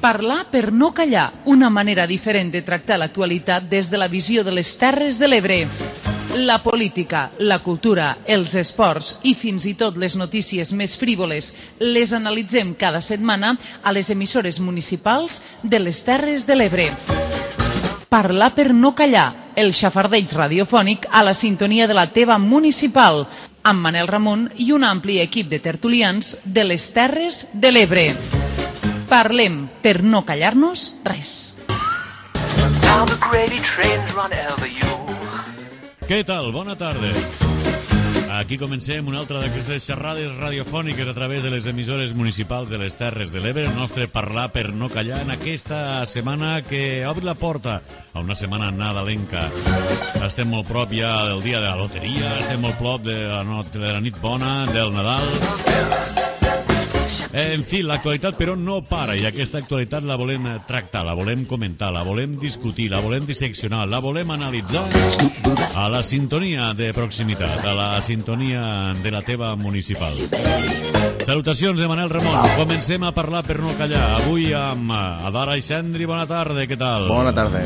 Parlar per no callar, una manera diferent de tractar l'actualitat des de la visió de les Terres de l'Ebre. La política, la cultura, els esports i fins i tot les notícies més frívoles les analitzem cada setmana a les emissores municipals de les Terres de l'Ebre. Parlar per no callar, el xafardeig radiofònic a la sintonia de la teva municipal, amb Manel Ramon i un ampli equip de tertulians de les Terres de l'Ebre. Parlem per no callar-nos res. Què tal? Bona tarda. Aquí comencem una altra d'aquestes xerrades radiofòniques a través de les emissores municipals de les Terres de l'Ebre, el nostre Parlar per no callar en aquesta setmana que obre la porta a una setmana nadalenca. Estem molt prop ja del dia de la loteria, estem molt prop de la nit bona, del Nadal. En fi, l'actualitat però no para i aquesta actualitat la volem tractar, la volem comentar, la volem discutir, la volem disseccionar, la volem analitzar a la sintonia de proximitat, a la sintonia de la teva municipal. Salutacions de Manel Ramon. Comencem a parlar per no callar. Avui amb Adara Ixendri. Bona tarda, què tal? Bona tarda,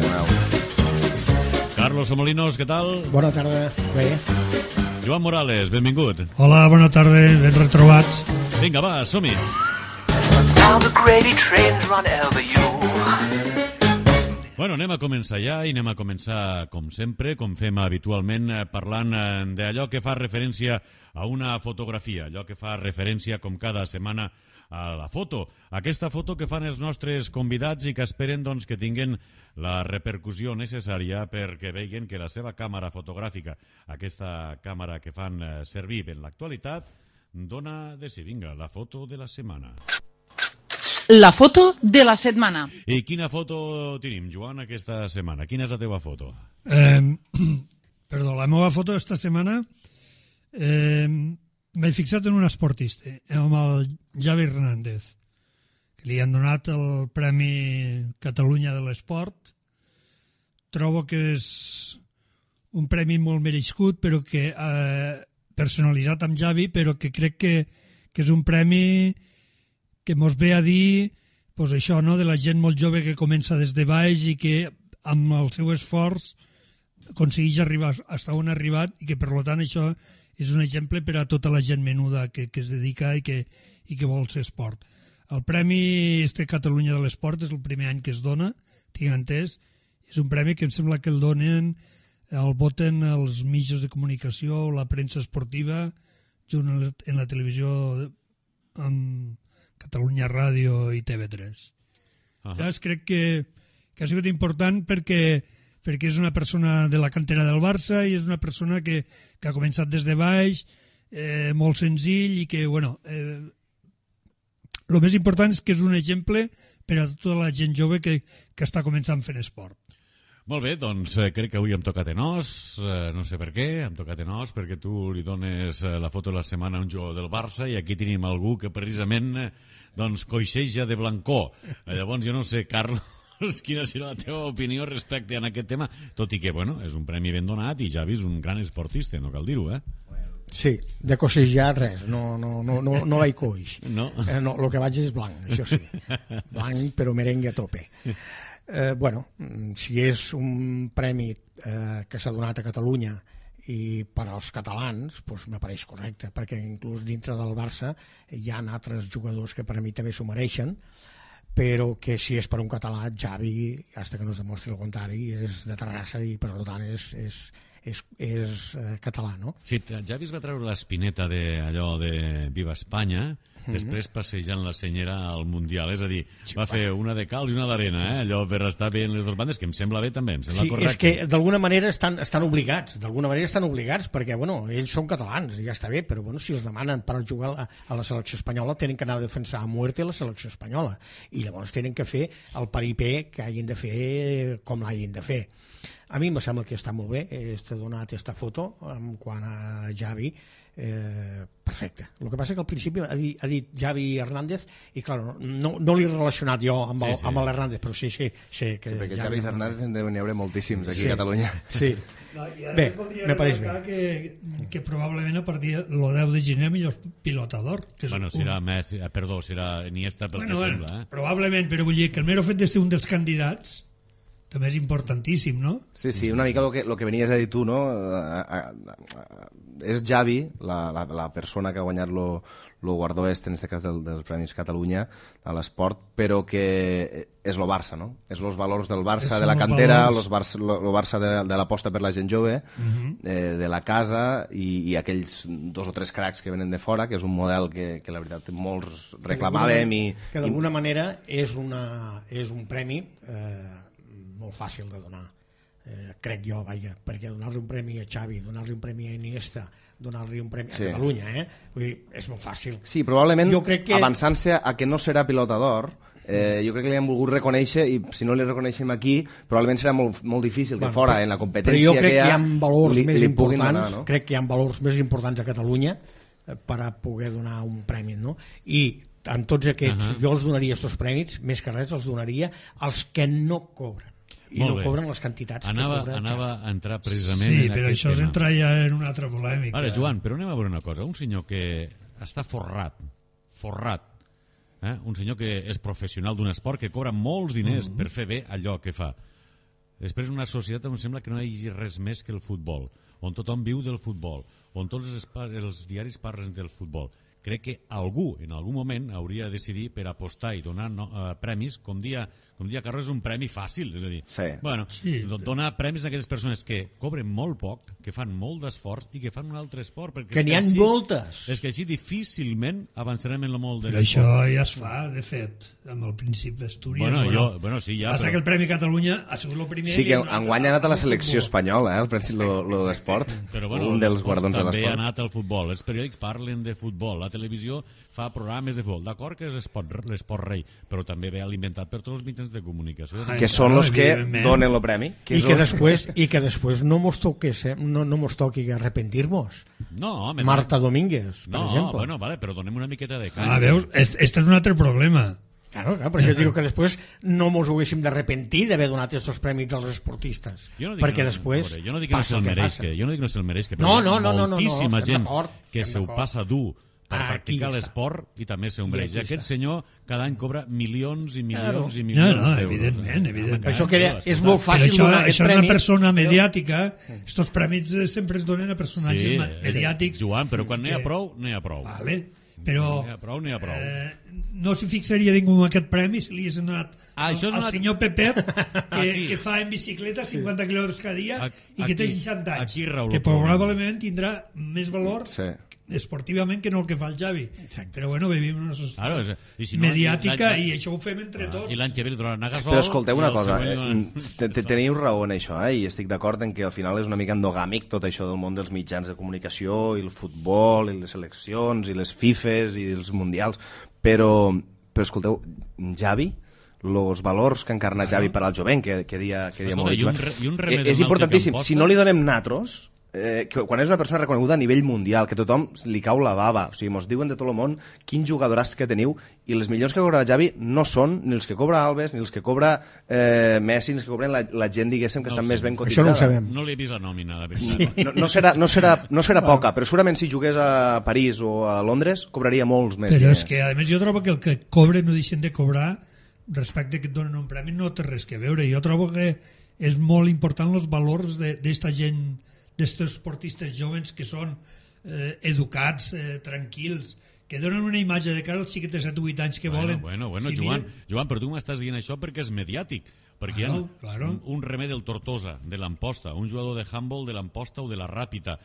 Carlos Somolinos, què tal? Bona tarda, bé. Joan Morales, benvingut. Hola, bona tarda, ben retrobats. Vinga, va, som-hi. Bueno, anem a començar ja i anem a començar, com sempre, com fem habitualment, parlant d'allò que fa referència a una fotografia, allò que fa referència, com cada setmana, a la foto. Aquesta foto que fan els nostres convidats i que esperen doncs, que tinguen la repercussió necessària perquè vegin que la seva càmera fotogràfica, aquesta càmera que fan servir en l'actualitat, dona de si, vinga, la foto de la setmana. La foto de la setmana. I quina foto tenim, Joan, aquesta setmana? Quina és la teva foto? Perdó, la meva foto esta setmana m'he fixat en un esportista, amb el Javi Hernández, que li han donat el Premi Catalunya de l'Esport. Trobo que és un premi molt merescut, però que personalitzat amb Javi, però que crec que és un premi que mos ve a dir pues això, no? De la gent molt jove que comença des de baix i que amb el seu esforç aconsegueix arribar fins on ha arribat i que per tant això és un exemple per a tota la gent menuda que es dedica i que vol ser esport. El Premi Catalunya de l'Esport és el primer any que es dona, tinc entès. És un premi que em sembla que el donen, el voten els mitjans de comunicació, la premsa esportiva, junt en la televisió amb Catalunya Ràdio i TV3. Llavors crec que ha sigut important perquè és una persona de la cantera del Barça i és una persona que ha començat des de baix, molt senzill i que, bueno, el més important és que és un exemple per a tota la gent jove que està començant fent esport. Molt bé, doncs crec que avui hem tocat en os, no sé per què, hem tocat en os perquè tu li dones la foto de la setmana a un jugador del Barça i aquí tenim algú que precisament doncs coixeja de blancor. Llavors jo no sé, Carlos, quina serà la teva opinió respecte a aquest tema, tot i que, bueno, és un premi ben donat i Javi és un gran esportista, no cal dir-ho, Sí, de coixejar res, no vaig coix. No, el que vaig és blanc, això sí. Blanc, però merengue a tope. Bueno, si és un premi que s'ha donat a Catalunya i per als catalans, doncs m'apareix correcte, perquè inclús dintre del Barça hi ha altres jugadors que per a mi també s'ho mereixen, però que si és per un català, Javi, fins que no es demostri el contrari, és de Terrassa i per tant és català, no? Sí, Javi es va treure l'espineta d'allò de Viva Espanya, després passejant la senyera al Mundial, és a dir, va fer una de cal i una d'arena, allò per estar bé en les dues bandes, que em sembla bé també, em sembla correcte. Sí, és que d'alguna manera estan obligats, perquè, bueno, ells són catalans, i ja està bé, però, bueno, si els demanen per jugar a la selecció espanyola, tenen que anar a defensar a muerte la selecció espanyola, i llavors tenen que fer el paripé que hagin de fer com l'hagin de fer. A mi em sembla que està molt bé, està donat aquesta foto, en quant a Javi, perfecte. El que passa que al principi ha dit Xavi Hernández i clar, no l'he relacionat jo amb l'Hernández, però sí que perquè Xavi Hernández en deuen hi haure moltíssims aquí a Catalunya. Sí. Bé, me pareix bé. Que probablement a partir del 10 de gener millor pilotador. Serà més, serà Iniesta pel que sembla. Probablement, però vull dir que el mero fet de ser un dels candidats també és importantíssim, no? Sí, una mica el que venies a dir tu, no? És Xavi, la persona que ha guanyat el guardó en aquest cas dels Premis Catalunya a l'esport, però que és el Barça, no? És els valors del Barça, de la cantera, el Barça de l'aposta per la gent jove, de la casa i aquells 2 o 3 cracs que venen de fora, que és un model que la veritat molts reclamàvem. Que d'alguna manera és un premi molt fàcil de donar, crec jo, perquè donar-li un premi a Xavi, donar-li un premi a Iniesta, donar-li un premi a Catalunya, vull dir, és molt fàcil. Sí, probablement avançant-se a que no serà pilota d'or, jo crec que li hem volgut reconèixer, i si no li reconeixem aquí probablement serà molt difícil que fora en la competència però jo crec que hi ha valors més importants donar, no? Crec que hi ha valors més importants a Catalunya per a poder donar un premi, no? I en tots aquests jo els donaria aquests premis, més que res els donaria als que no cobren i no cobren les quantitats que cobra. Anava a entrar precisament en aquest tema. Sí, però això s'entra ja en una altra polèmica. Ara, Joan, però anem a veure una cosa. Un senyor que està forrat, un senyor que és professional d'un esport, que cobra molts diners per fer bé allò que fa. Després una societat on sembla que no hi hagi res més que el futbol, on tothom viu del futbol, on tots els diaris parlen del futbol. Crec que algú, en algun moment, hauria de decidir per apostar i donar premis, com dia Carles, és un premi fàcil, és a dir, donar premis a aquelles persones que cobren molt poc, que fan molt d'esforç i que fan un altre esport. Que n'hi ha moltes. És que així difícilment avançarem en el molt de l'esport. Però això ja es fa, de fet, amb el Príncip d'Astúries. Passa que el Premi Catalunya ha sigut el primer... Sí, que enguany ha anat a la selecció espanyola, el Príncip d'Esport, un dels guardons de l'esport. També ha anat al futbol, els periòdics parlen de futbol, la televisió fa programes de futbol, d'acord que és l'esport rei, però també ve alimentat per tots els mitjans de comunicació. Que són els que donen el premi. I que després no mos toqui arrepentir-nos. No, Marta Domínguez, per exemple. No, però donem una miqueta de canya. Veus, este és un altre problema. Claro, per això dic que després no mos haguéssim d'arrepentir d'haver donat aquests premis als esportistes, perquè després jo no dic que no se'l mereixi, però hi ha moltíssima gent que se ho passa dur per practicar l'esport i també se ho mereix. I aquest senyor cada any cobra milions i milions i milions d'euros. Evidentment. Això que és molt fàcil donar aquest premi. Això és una persona mediàtica, estos premis sempre es donen a personatges mediàtics. Joan, però quan n'hi ha prou, n'hi ha prou. Però n'hi ha prou. No s'hi fixaria ningú en aquest premi si li hagués donat al senyor Pepet que fa en bicicleta 50 quilòmetres cada dia i que té 60 anys, que probablement tindrà més valor esportivament que no el que fa el Xavi. Però bueno, vivim en una societat mediàtica i això ho fem entre tots. I l'any que ve li donaran a Gasol. Però escolteu una cosa, teniu raó en això, i estic d'acord en que al final és una mica endogàmic tot això del món dels mitjans de comunicació i el futbol i les seleccions i les FIFEs i els mundials, però escolteu, Xavi, els valors que encarna Xavi per al jovent, que dia molt és importantíssim. Si no li donem natros, quan és una persona reconeguda a nivell mundial, que tothom li cau la bava, o sigui, mos diuen de tot el món quins jugadoràs que teniu, i les milions que cobra Xavi no són ni els que cobra Alves, ni els que cobra Messi, ni els que cobren la gent, diguéssim, que estan més ben cotitzada. Això no ho sabem. No li he vist la nòmina, la veritat. No serà poca, però segurament si jugués a París o a Londres cobraria molts més diners. Però és que, a més, jo trobo que el que cobren no deixen de cobrar respecte que et donen un premi no té res que veure. Jo trobo que és molt important els valors d'esta gent, d'estos esportistes joves que són educats, tranquils, que donen una imatge de cara als xiquets de 7 o 8 anys que volen... Bueno, Joan, però tu m'estàs dient això perquè és mediàtic, perquè hi ha un remer del Tortosa, de l'Amposta, un jugador de handball de l'Amposta o de la Ràpita,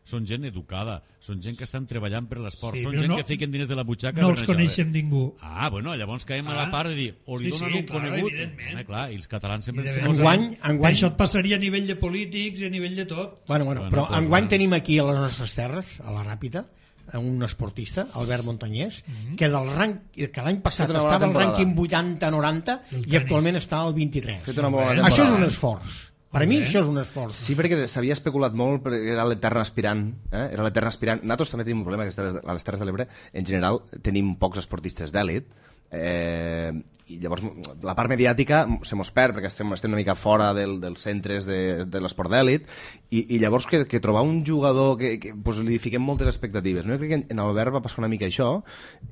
són gent educada, són gent que estan treballant per l'esport, són gent que fiquen diners de la butxaca. No els coneixem ningú. Llavors caiem a la part de dir, o li donen un conegut. Clar, i els catalans sempre... Enguany... Això et passaria a nivell de polítics i a nivell de tot. Però enguany tenim aquí a les nostres terres, a la Ràpita, un esportista, Albert Montanyès, que l'any passat estava al rànquing 80-90 i actualment està al 23. Això és un esforç. Per mi això és un esforç. Sí, perquè s'havia especulat molt, perquè era l'etern aspirant. Era l'etern aspirant. Nosaltres també tenim un problema, que a les Terres de l'Ebre, en general, tenim pocs esportistes d'èlit, i llavors la part mediàtica se mos perd perquè estem una mica fora dels centres de l'esport d'èlit i llavors que trobar un jugador que pues, li fiquem moltes expectatives, no? Jo crec que en Albert va passar una mica això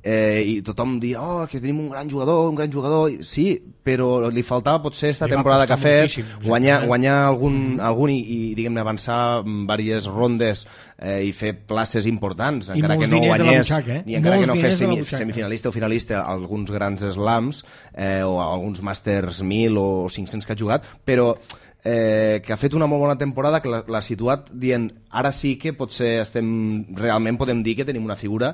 i tothom dia, que tenim un gran jugador, sí, però li faltava potser esta temporada que ha fet guanyar algun i diguem-ne avançar diverses rondes i fer places importants, encara que no guanyés i encara que no fes semifinalista o finalista alguns grans slams o alguns Masters 1000 o 500 que ha jugat, però que ha fet una molt bona temporada, que l'ha situat dient, ara sí que potser realment podem dir que tenim una figura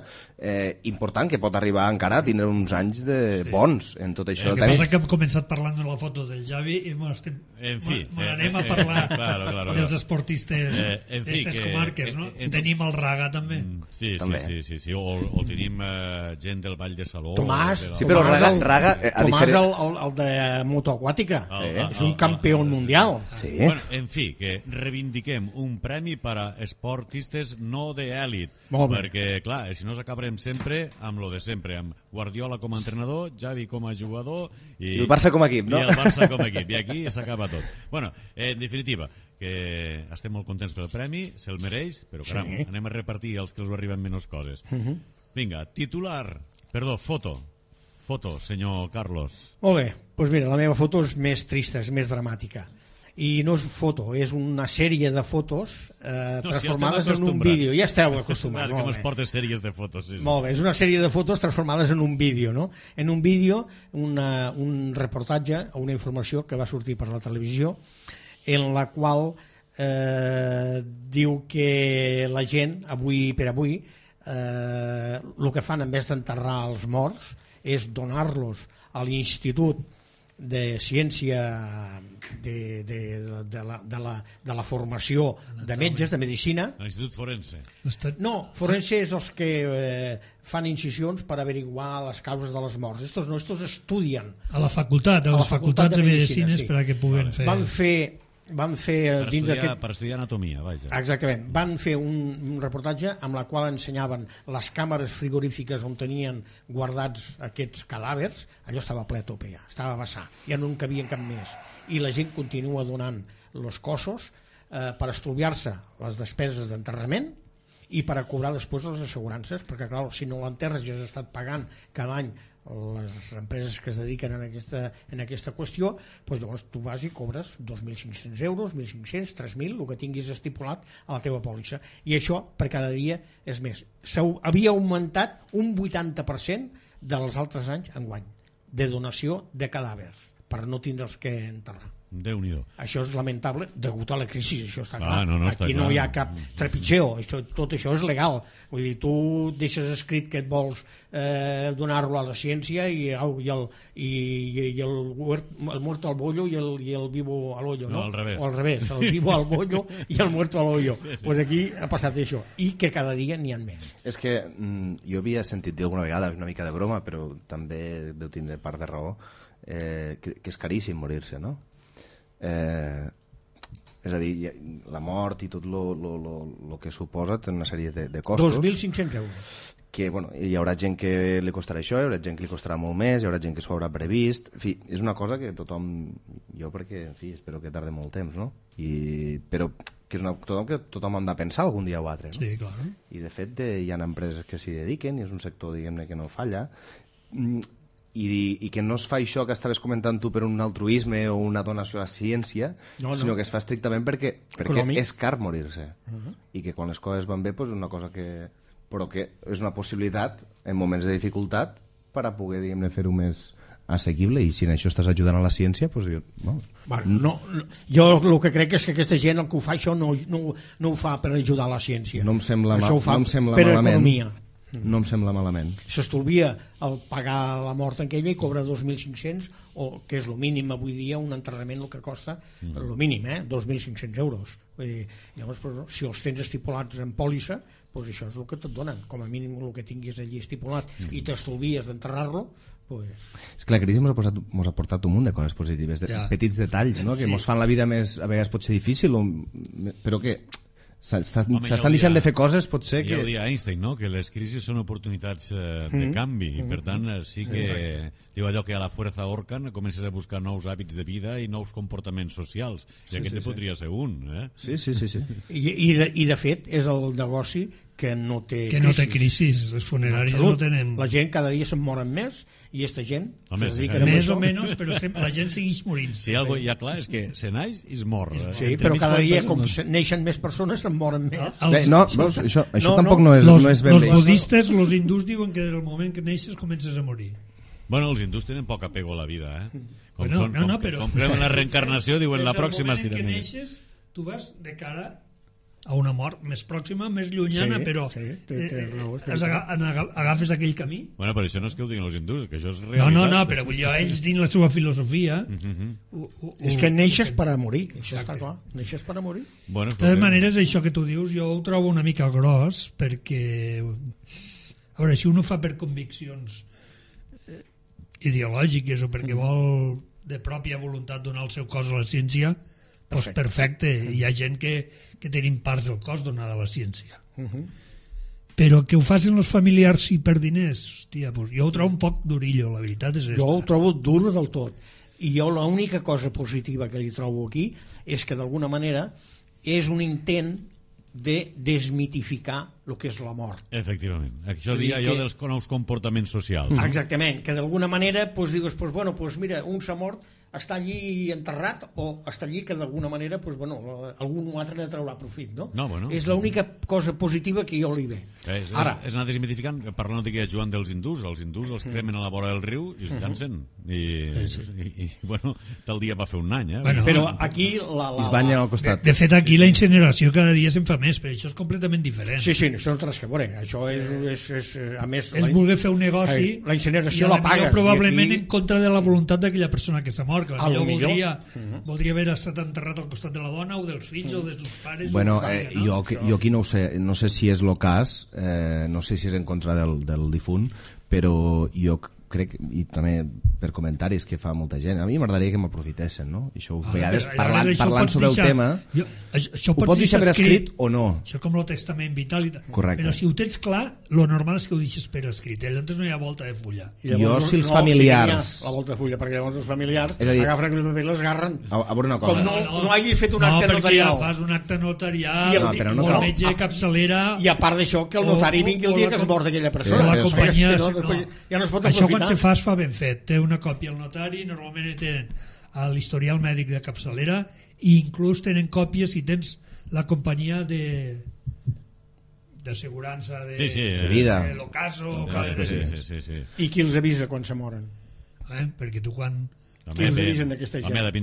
important, que pot arribar encara a tindre uns anys bons en tot això. El que passa que hem començat parlant de la foto del Xavi i anem a parlar dels esportistes d'aquestes comarques, no? Tenim el Raga també. Sí, o tenim gent del Vall de Saló. Tomàs, però Raga Tomàs el de moto aquàtica, és un campió mundial. Sí. Bueno, en fi, que reivindiquem un premi per a esportistes no d'èlit, perquè, clar, si no s'acabarem sempre amb lo de sempre, amb Guardiola com a entrenador, Xavi com a jugador i el Barça com a equip, no? I el Barça com a equip, i aquí s'acaba tot. Bueno, en definitiva, que estem molt contents pel premi, se'l mereix, però caram, anem a repartir els que us arriben menys coses. Vinga, foto, senyor Carlos. Molt bé, doncs mira, la meva foto és més trista, és més dramàtica. I no és foto, és una sèrie de fotos transformades en un vídeo. Ja esteu acostumats. Que ens portes sèries de fotos. Sí. Molt bé, és una sèrie de fotos transformades en un vídeo. No? En un vídeo, un reportatge o una informació que va sortir per la televisió en la qual diu que la gent, avui per avui, el que fan en vez d'enterrar els morts és donar-los a l'Institut de Ciència de la formació de metges, de medicina. L'Institut Forense. No, forense és els que fan incisions per averiguar les causes de les morts. Estos estudien. A la facultat, a les facultats de medicina, sí. Per a que puguen fer... Van fer per estudiar anatomia, vaja. Exactament. Van fer un reportatge amb la qual ensenyaven les càmeres frigorífiques on tenien guardats aquests cadàvers. Allò estava ple a tope ja, estava a vessar, ja no en cabien cap més, i la gent continua donant els cossos per estalviar-se les despeses d'enterrament i per a cobrar després les assegurances, perquè clar, si no l'enterres ja has estat pagant cada any les empreses que es dediquen en aquesta qüestió, doncs llavors tu vas i cobres 2.500 euros, 1.500, 3.000, el que tinguis estipulat a la teva pòlissa. I això per cada dia és més. Havia augmentat un 80% dels altres anys enguany de donació de cadàvers per no tindre'ls que enterrar. Déu-n'hi-do. Això és lamentable degut a la crisi, això està clar. Aquí no hi ha cap trepitgeo, tot això és legal. Vull dir, tu deixes escrit que et vols donar-lo a la ciència i el muerto al bollo i el vivo al hoyo, no? No, al revés. O al revés, el vivo al bollo i el muerto al hoyo. Pues aquí ha passat això. I que cada dia n'hi ha més. És que jo havia sentit dir alguna vegada, una mica de broma, però també deu tindre part de raó, que és caríssim morir-se, no? És a dir, la mort i tot el que suposa té una sèrie de costos 2.500 euros que, bueno, hi haurà gent que li costarà això, hi haurà gent que li costarà molt més, hi haurà gent que s'ho haurà previst, en fi, és una cosa que tothom, jo perquè, en fi, espero que tardi molt temps, no? Però que és que tothom han de pensar algun dia o altre, no? Sí, clar. I de fet hi ha empreses que s'hi dediquen i és un sector, diguem-ne, que no falla, i que no es fa això que estaves comentant tu per un altruisme o una donació a la ciència, sinó que es fa estrictament perquè és car morir-se i que quan les coses van bé és una cosa però que és una possibilitat en moments de dificultat per a poder, diguem-ne, fer-ho més assequible, i si en això estàs ajudant a la ciència, jo el que crec és que aquesta gent el que ho fa això no ho fa per ajudar a la ciència, no em sembla per economia. No em sembla malament. S'estolvia el pagar la mort aquella i cobra 2.500, o que és el mínim avui dia, un enterrament el que costa, el mínim, 2.500 euros. Vull dir, llavors, si els tens estipulats en pòlissa, doncs això és el que te't donen, com a mínim el que tinguis allí estipulat i t'estalvies d'enterrar-lo. És que la crisi mos ha portat un munt de coses positives, petits detalls, no? Que mos fan la vida més, a vegades pot ser difícil, però que s'estan deixant de fer coses, pot ser que... Ja ho dia Einstein, no? Que les crisis són oportunitats de canvi, i per tant sí que diu allò que a la fuerza ahorcan comences a buscar nous hàbits de vida i nous comportaments socials, i aquest podria ser un, Sí. I de fet és el negoci que no té crisis. Les funeràries no tenen... La gent cada dia se'n moren més i aquesta gent... Més o menys, però la gent segueix morint. Si algo ja clar és que se naix i es mor. Sí, però cada dia com neixen més persones se'n moren més. Això tampoc no és ben bé. Els budistes, els hindús diuen que el moment que neixes comences a morir. Bueno, els hindús tenen poc apego a la vida, Com però... creuen en la reencarnació, diuen la pròxima serà millor. Des del moment que neixes, tu vas de cara a una mort més pròxima, més llunyana, però agafes aquell camí. Bueno, però això no és que ho diguin els hindús, que això és realitat. No, però ells dins la seva filosofia... És que neixes per a morir, això està clar. Neixes per a morir. De totes maneres, això que tu dius, jo ho trobo una mica gros, perquè... A veure, si uno fa per conviccions ideològiques o perquè vol de pròpia voluntat donar el seu cos a la ciència, doncs perfecte, hi ha gent que tenim parts del cos donada a la ciència. Però que ho facin els familiars i per diners, hòstia, doncs jo ho trobo un poc durillo, la veritat és esta. Jo ho trobo dur del tot, i jo l'única cosa positiva que li trobo aquí és que d'alguna manera és un intent de desmitificar el que és la mort. Efectivament, això dia allò dels nous comportaments socials. Exactament, que d'alguna manera digues, mira, un s'ha mort, està allí enterrat o està allí que d'alguna manera algun altre ne traurà profit, no? És l'única cosa positiva que jo li ve. És anar desmitificant, parlant que Joan dels hindús, els hindús els cremen a la vora del riu i es llancen i tal dia va fer un any, però aquí es banyen al costat. De fet aquí la incineració cada dia se'n fa més, però això és completament diferent. Sí, això no té res que veure, això és a més... És voler fer un negoci, la incineració la pagues, probablement en contra de la voluntat d'aquella persona que s'ha mort, que voldria haver estat enterrat al costat de la dona o dels fills o dels seus pares. Jo aquí no sé si és el cas, no sé si és en contra del difunt, però jo crec, i també per comentaris que fa molta gent, a mi m'agradaria que m'aprofitessin, no? Això ho vegades parlant sobre el tema, ho pots deixar per escrit o no. Això com el testament vital i tal. Correcte. Però si ho tens clar, lo normal és que ho deixes per escrit, llavors no hi ha volta de fulla. Jo si els familiars... La volta de fulla, perquè llavors els familiars agafen aquell paper i l'esgarren. A veure una cosa. Com no hagis fet un acte notarial. No, perquè fas un acte notarial, o el metge capçalera... I a part d'això, que el notari vingui el dia que es mort aquella persona. La companyia... Ja no es pot aprofitar. Quan se fa ben fet, té una còpia al notari, normalment tenen l'historial mèdic de capçalera i inclús tenen còpies si tens la companyia d'assegurança de vida, de l'ocaso, i qui els avisa quan se moren? Perquè tu quan qui els avisen d'aquesta gent? Ha de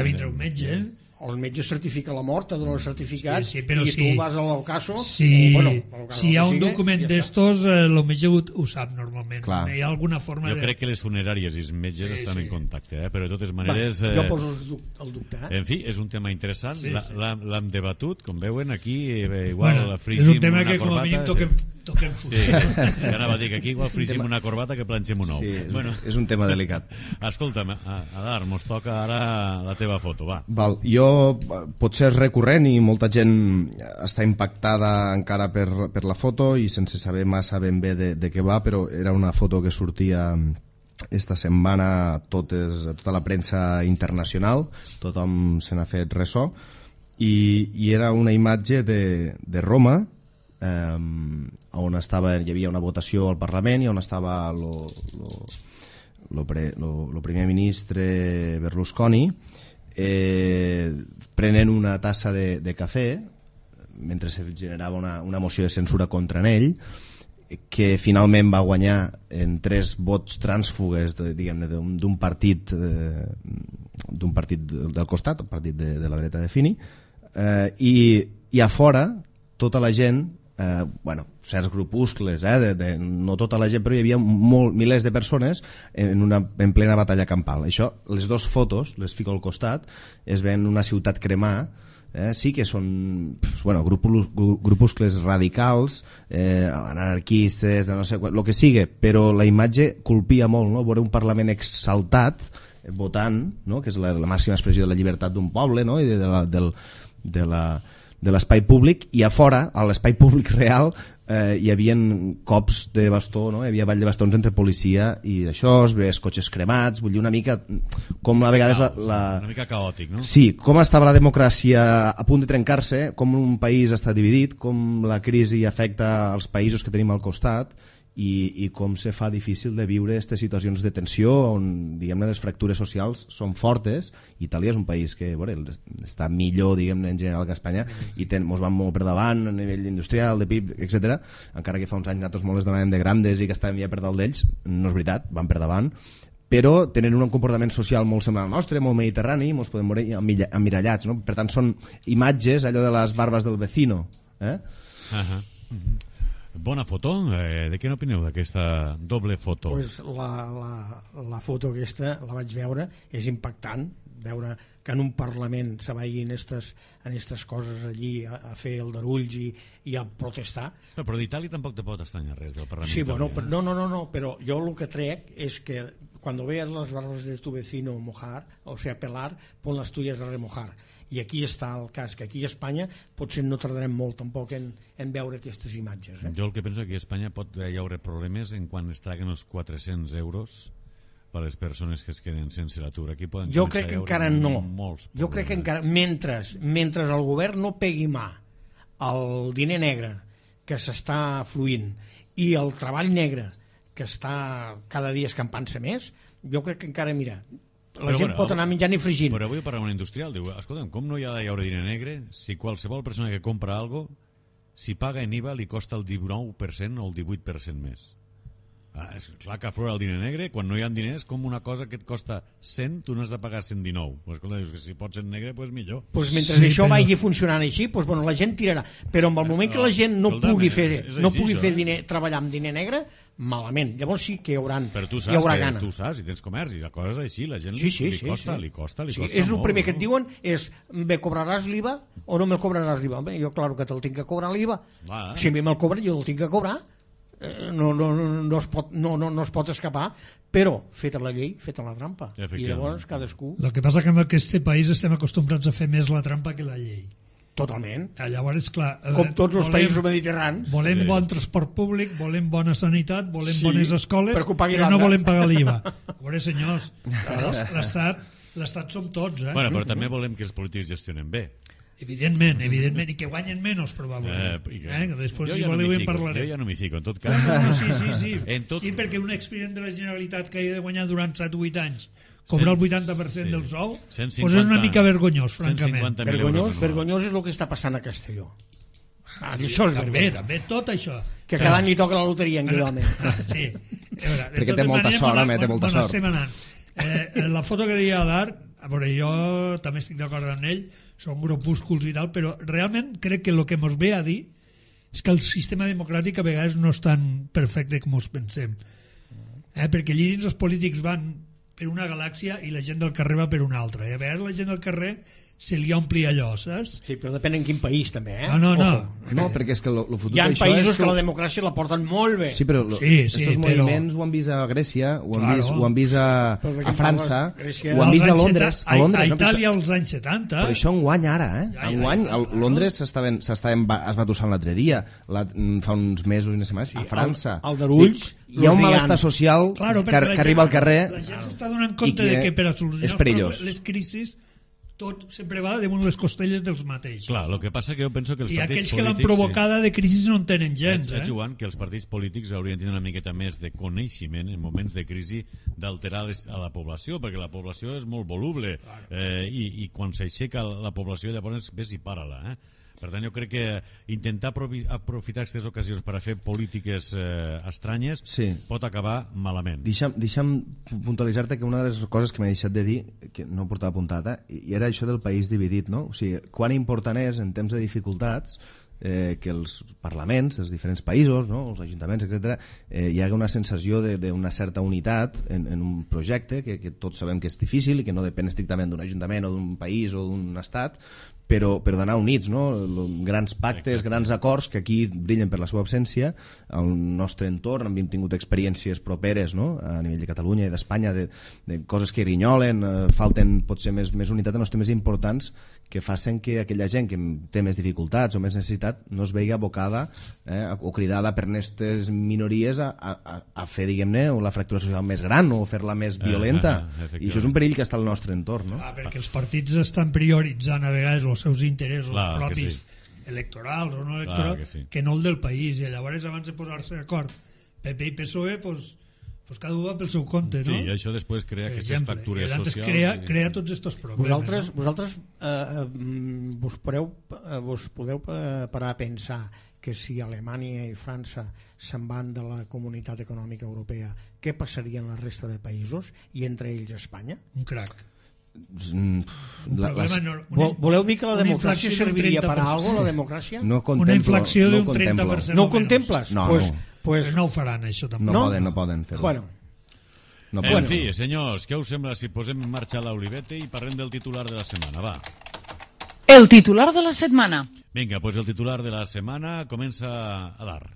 vindre un metge, el metge certifica la mort, te dona el certificat i tu vas a l'ocaso. Si hi ha un document d'estos, el metge ho sap normalment. Hi ha alguna forma jo crec que les funeràries i els metges estan en contacte, però de totes maneres... Jo poso el dubte. En fi, és un tema interessant, l'hem debatut, com veuen aquí, igual és un tema que com a mínim toquem fusta. Ja anava a dir que aquí igual frisim una corbata que planxem un ou. És un tema delicat. Escolta'm, Adar, mos toca ara la teva foto, va. Jo potser és recurrent i molta gent està impactada encara per la foto i sense saber massa ben bé de què va, però era una foto que sortia esta setmana a tota la premsa internacional, tothom se n'ha fet ressò, i era una imatge de Roma, on hi havia una votació al Parlament i on estava el primer ministre Berlusconi prenent una tassa de cafè mentre se generava una moció de censura contra ell, que finalment va guanyar en 3 vots trànsfugues d'un partit del costat, el partit de la dreta de Fini, i a fora tota la gent, certs grupuscles, no tota la gent, però hi havia milers de persones en plena batalla campal. Això, les 2 fotos, les fico al costat, es ven una ciutat cremar, sí que són grupuscles radicals, anarquistes, de no sé el que sigui, però la imatge colpia molt, no? Veure un Parlament exaltat votant, no? Que és la màxima expressió de la llibertat d'un poble, no? I de l'espai públic, i a fora, a l'espai públic real, hi havia cops de bastó, no? Hi havia ball de bastons entre policia i això, es veien cotxes cremats, vull dir, una mica com a vegades una mica caòtic, no? Sí, com estava la democràcia a punt de trencar-se, com un país està dividit, com la crisi afecta els països que tenim al costat, i com se fa difícil de viure aquestes situacions de tensió on, diguem-ne, les fractures socials són fortes. Itàlia és un país que està millor, diguem-ne, en general que Espanya, i ens van molt per davant a nivell industrial, de PIB, etc. Encara que fa uns anys nosaltres molt les donàvem de grandes i que estàvem ja per dalt d'ells, no és veritat, van per davant, però tenen un comportament social molt semblant al nostre, molt mediterrani, ens podem veure emmirallats, no? Per tant, són imatges, allò de les barbes del vecino. Bona foto. De què n'opineu d'aquesta doble foto? Pues la foto aquesta la vaig veure, és impactant veure que en un Parlament se vagin en aquestes coses allí a fer aldarulls i a protestar. Però d'Itàlia tampoc te pot estranyar res del Parlament. Sí, bueno, no, però jo el que trec és que cuando veas las barbas de tu vecino mojar, o sea, pelar, pon las tuyas a remojar. I aquí està el cas, que aquí a Espanya potser no tardarem molt tampoc en veure aquestes imatges. Jo el que penso que a Espanya pot hi haure problemes en quan es traguen els 400 euros per a les persones que es queden sense l'atur. Aquí poden jo crec que encara no. Jo crec que encara, mentre el govern no pegui mà al diner negre que s'està fluint i el treball negre que està cada dia escampant-se més, jo crec que encara, mira, la gent pot anar menjant i fregint. Però avui parla un industrial, diu, escolta'm, com no hi ha d'haure diner negre si qualsevol persona que compra algo, si paga en IVA li costa el 19% o el 18% més? És clar que aflora el diner negre, quan no hi ha diners, com una cosa que et costa 100, tu n'has de pagar 119. Pues, escolta, dius que si pot ser negre, pues millor. Pues mentre això vagi funcionant així, pues, bueno, la gent tirarà. Però en el moment que la gent no pugui fer diner, treballar amb diner negre, malament. Llavors sí que hi haurà gana. Tu saps, si tens comerç, i la cosa és així, la gent li costa és el molt, primer que et diuen és, me cobraràs l'IVA o no me cobraràs l'IVA? Jo, claro que te'l tinc que cobrar l'IVA. Si a mi me'l cobra, jo el tinc que cobrar. No es pot escapar, però feta la llei, feta la trampa, i llavors cadascú... El que passa que en aquest país estem acostumbrats a fer més la trampa que la llei. Totalment. Llavors, clar, com tots els països mediterranis. Volem bon transport públic, volem bona sanitat, volem bones escoles, però no volem pagar l'IVA. A veure, senyors, l'estat som tots, Bueno, però també volem que els polítics gestionen bé. Evidentment, i que guanyen menys, probablement. Després, si voleu, en parlarem. Jo ja no m'hi fico, en tot cas. Sí, perquè un expresident de la Generalitat que hagi de guanyar durant 7 o 8 anys cobrar el 80% del sou, doncs és una mica vergonyós, francament. Vergonyós és el que està passant a Castelló. Això és vergonyós. També, tot això. Que cada any li toca la loteria en Guillaume. Sí. Perquè té molta sort, té molta sort. La foto que deia d'Art, a veure, jo també estic d'acord amb ell, són grupúsculs i tal, però realment crec que el que ens ve a dir és que el sistema democràtic a vegades no és tan perfecte com us pensem. Perquè allí dins els polítics van per una galàxia i la gent del carrer va per una altra. I a vegades la gent del carrer se li ompli allò, saps? Sí, però depèn en quin país també, No, perquè és que el futur hi ha països que la democràcia la porten molt bé. Sí, però estos moviments ho han vist a Grècia, ho han vist a França, ho han vist a Londres. A Itàlia als anys 70. Però això enguany ara, enguany, Londres es va tossant l'altre dia, fa uns mesos i unes setmanes, a França. Aldarulls. Hi ha un malestar social que arriba al carrer. La gent s'està donant compte de que per a solucionar les crisis tot sempre va damunt les costelles dels mateixos. Clar, el que passa que jo penso que els partits polítics... I aquells que l'han provocada de crisi no en tenen gens. Joan, que els partits polítics haurien de tenir una miqueta més de coneixement en moments de crisi d'alterar a la població, perquè la població és molt voluble, i quan s'aixeca la població llavors ves i para-la. Per tant, jo crec que intentar aprofitar aquestes ocasions per a fer polítiques estranyes pot acabar malament. Deixa'm puntualitzar-te que una de les coses que m'he deixat de dir, que no portava apuntada, i era això del país dividit, no? O sigui, quan important és en temps de dificultats que els parlaments dels diferents països, no? Els ajuntaments, etc., hi ha una sensació d'una certa unitat en un projecte que tots sabem que és difícil i que no depèn estrictament d'un ajuntament o d'un país o d'un estat, però d'anar units, no? Grans pactes, grans acords que aquí brillen per la seva absència. Al nostre entorn hem tingut experiències properes, no? A nivell de Catalunya i d'Espanya, de coses que grinyolen, falten potser més unitat en els temes importants que facin que aquella gent que té més dificultats o més necessitat no es vegi abocada o cridada per aquestes minories a fer, diguem-ne, la fractura social més gran o fer-la més violenta. I això és un perill que està al nostre entorn, no? Perquè els partits estan prioritzant a vegades els seus interessos propis, sí, electorals o no electorals, que no el del país, i llavors abans de posar-se d'acord PP i PSOE, pues cada un va pel seu compte, no? Sí, i això després crea aquestes factures socials. Crea tots aquests problemes. Vosaltres vos podeu parar a pensar que si Alemanya i França se'n van de la Comunitat Econòmica Europea, què passaria en la resta de països i entre ells Espanya? Un crac. Voleu dir que la democràcia serviria per a alguna cosa, la democràcia? Una inflació d'un 30%. No ho contemples? Pues no ho faran, això tampoc. No poden fer-ho. Bueno. En fi, senyors, què us sembla si posem en marxa l'Olivete i parlem del titular de la setmana? Va. El titular de la setmana. Vinga, doncs el titular de la setmana comença a dar.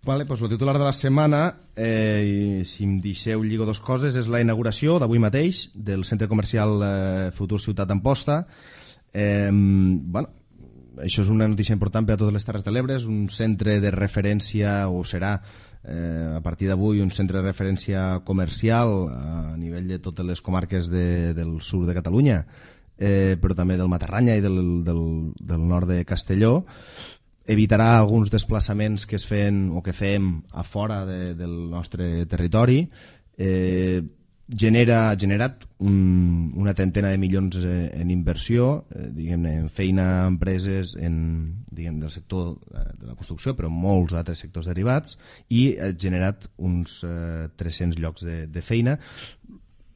Vale, pues el titular de la setmana, si em deixeu lligo dos coses, és la inauguració d'avui mateix del centre comercial Futur Ciutat d'Amposta. Bueno, això és una notícia important per a totes les Terres de l'Ebre, és un centre de referència, o serà a partir d'avui un centre de referència comercial a nivell de totes les comarques del sud de Catalunya, però també del Matarranya i del nord de Castelló. Evitarà alguns desplaçaments que es feien o que fem a fora del nostre territori. Ha generat una trentena de milions en inversió, diguem-ne, en feina a empreses del sector de la construcció, però en molts altres sectors derivats, i ha generat uns 300 llocs de feina,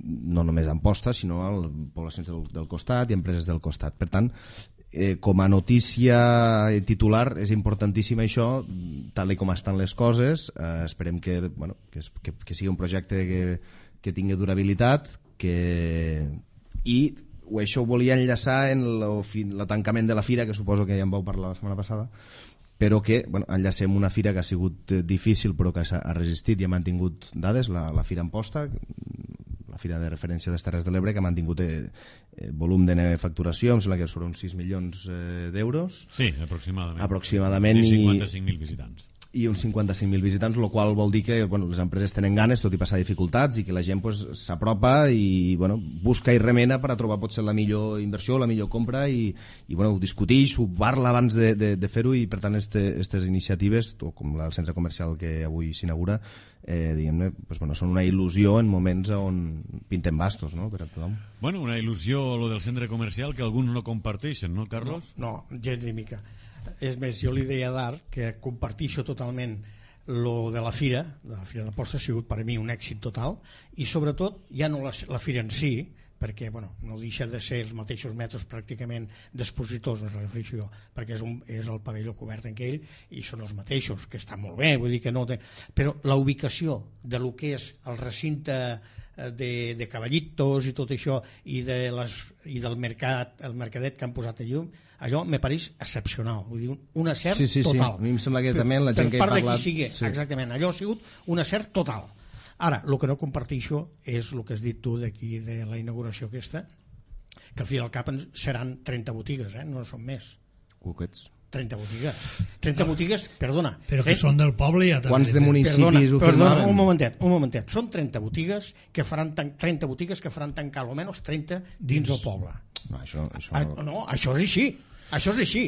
no només a Amposta, sinó a poblacions del costat i empreses del costat. Per tant, com a notícia titular és importantíssim això, tal com estan les coses. Esperem que sigui un projecte que tingui durabilitat, i això ho volia enllaçar en el tancament de la fira, que suposo que ja en vau parlar la setmana passada, però que enllacem una fira que ha sigut difícil però que ha resistit i ha mantingut dades, la Fira Amposta, la fira de referència de les Terres de l'Ebre, que ha mantingut volum de facturació, em sembla que són uns 6 milions d'euros. Sí, aproximadament. I 55.000 visitants. I uns 55.000 visitants, el qual vol dir que les empreses tenen ganes, tot i passar dificultats, i que la gent s'apropa i busca i remena per a trobar potser la millor inversió, la millor compra, i ho discuteix, ho parla abans de fer-ho, i per tant aquestes iniciatives, com el centre comercial que avui s'inaugura, diguem-ne, són una il·lusió en moments on pintem bastos, no?, per a tothom. Bueno, una il·lusió, lo del centre comercial, que alguns no comparteixen, no, Carlos? No, gens ni mica. És més, jo li deia a Dar que comparteixo totalment lo de la fira d'Amposta, ha sigut per a mi un èxit total, i sobretot ja no la fira en si, perquè no deixa de ser els mateixos metres pràcticament d'expositors, me refereixo jo, perquè és el pavelló cobert en aquell i són els mateixos, que està molt bé, vull dir que no té... Però la ubicació de lo que és el recinte de cavallitos i tot això, i del mercat, el mercadet que han posat allà, allò me pareix excepcional, vull dir, un acert total. A mi em sembla que també la gent que ha parlat... Exactament, allò ha sigut un acert total. Ara, el que no comparteixo és el que has dit tu d'aquí de la inauguració aquesta, que al fi al cap seran 30 botigues, no són més. Cuquets. 30 botigues. 30 botigues, perdona. Però que són del poble, ja també. Quants de municipis ho firmaven? Perdona, un momentet. Són 30 botigues que faran tancar almenys 30 dins el poble. No, això és així. Això és així.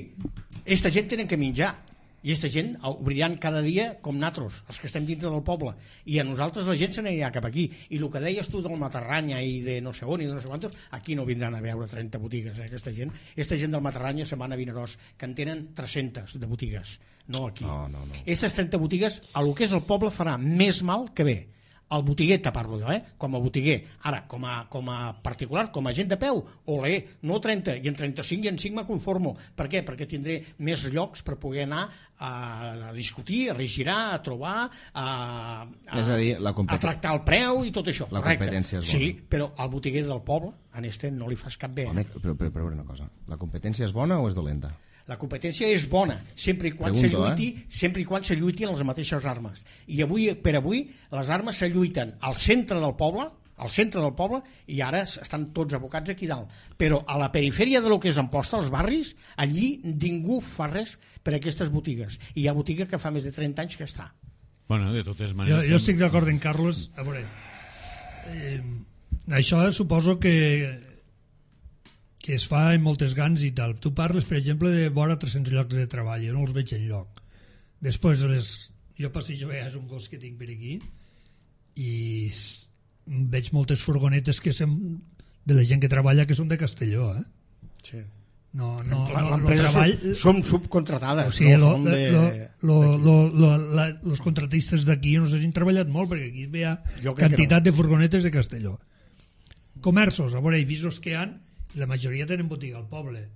Aquesta gent tenen que menjar. I aquesta gent obriran cada dia com nosaltres, els que estem dintre del poble, i a nosaltres la gent se n'anirà cap aquí. I el que deies tu del Matarranya i de no sé on i de no sé quantos, aquí no vindran a veure 30 botigues, aquesta gent del Matarranya se'n van a Vinaròs, que en tenen 300 de botigues, no aquí. No. Aquestes 30 botigues a lo que és el poble farà més mal que bé. el botiguer, te parlo jo, com a botiguer. Ara, com a particular, com a gent de peu, olé, no 30, i en 35 i en 5 me conformo. Per què? Perquè tindré més llocs per poder anar a discutir, a regirar, a trobar, és a dir, a tractar el preu i tot això. La competència és bona. Sí, però al botiguer del poble, en este no li fas cap bé. Home, però una cosa, la competència és bona o és dolenta? La competència és bona, sempre i quan se lluiti en les mateixes armes. I per avui, les armes se lluiten al centre del poble, i ara estan tots abocats aquí dalt. Però a la perifèria de lo que és Amposta, als barris, allí ningú fa res per aquestes botigues. I hi ha botiga que fa més de 30 anys que està. Bueno, de totes maneres... Jo estic d'acord amb Carlos. A veure, això suposo que es fa en moltes gans i tal. Tu parles, per exemple, de vora 300 llocs de treball, jo no els veig enlloc. Després, jo passejo un gos que tinc per aquí i veig moltes furgonetes de la gent que treballa que són de Castelló, Sí. No, treball... Som subcontratades. O sigui, los contratistes d'aquí no s'hagin treballat molt, perquè aquí hi ha quantitat de furgonetes de Castelló. Comerços, a veure, visos que hi ha, la majoria tenen botiga al poble.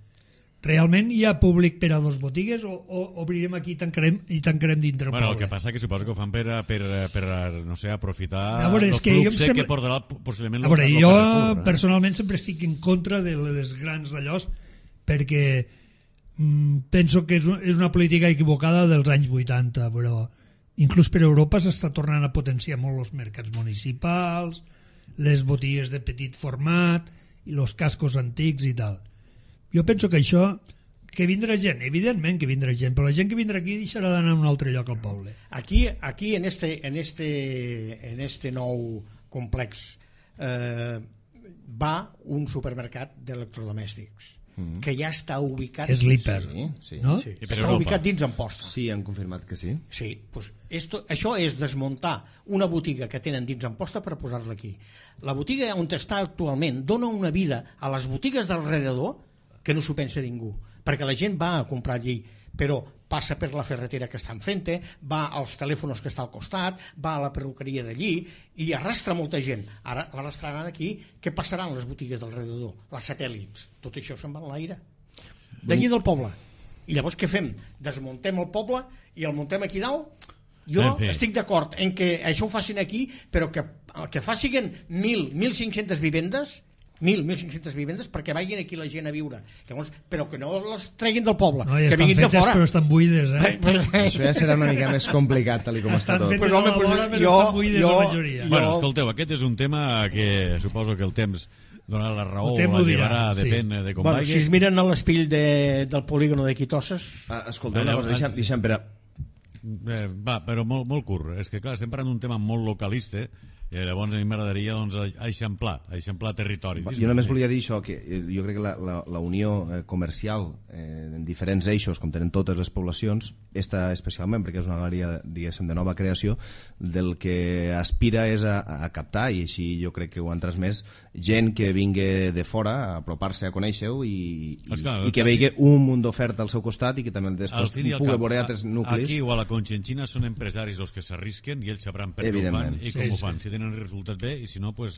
Realment hi ha públic per a dos botigues o obrirem aquí i tancarem dintre el poble? El que passa que suposo que ho fan per no sé, aprofitar el flux que portarà possiblement... A veure, jo personalment sempre estic en contra de les grans d'allòs, perquè penso que és una política equivocada dels anys 80, però inclús per Europa s'està tornant a potenciar molt els mercats municipals, les botigues de petit format i els cascos antics i tal. Jo penso que això, que vindrà gent, evidentment que vindrà gent, però la gent que vindrà aquí deixarà d'anar a un altre lloc al poble. Aquí en este nou complex va un supermercat d'electrodomèstics que ja està ubicat... És l'Hiper, no? Sí. Està ubicat dins Amposta. Sí, han confirmat que sí. Sí, doncs això és desmuntar una botiga que tenen dins Amposta per posar-la aquí. La botiga on està actualment dona una vida a les botigues d'alrededor que no s'ho pensa ningú, perquè la gent va a comprar allí, però passa per la ferretera que està enfrente, va als telèfons que està al costat, va a la perruqueria d'allí i arrastra molta gent. Ara l'arrastraran aquí, què passarà en les botigues d'alrededor? Les satèl·lits, tot això se'n va a l'aire d'allí del poble. I llavors què fem? Desmuntem el poble i el muntem aquí dalt? Jo estic d'acord en que això ho facin aquí, però que facin 1.500 vivendes 1.500 vivendes perquè vagin aquí la gent a viure. Llavors, però que no les treguin del poble, no, ja que vinguin de fora. Però estan buides, Això ja serà una mica més complicat, tal com està tot. Estan fetes a la vora, però estan buides la majoria. Bueno, escolteu, aquest és un tema que suposo que el temps donarà la raó o la llevarà, depèn de com vagi. Si es miren a l'espill del polígono de Quitoses... Escolteu una cosa, deixa'm per... Va, però molt curt. És que, clar, estem parlant d'un tema molt localista. Llavors a mi m'agradaria eixamplar territori. Jo només volia dir això, que jo crec que la unió comercial en diferents eixos, com tenen totes les poblacions, està especialment perquè és una galeria, diguéssim, de nova creació, del que aspira és a captar, i així jo crec que ho han transmès, gent que vingui de fora a apropar-se a conèixer-ho i que vegi un munt d'oferta al seu costat i que també després pugui veure altres nuclis. Aquí o a la Conchinchina són empresaris els que s'arrisquen i ells sabran per què ho fan i com ho fan. Si tenen resultats bé, i si no, pues,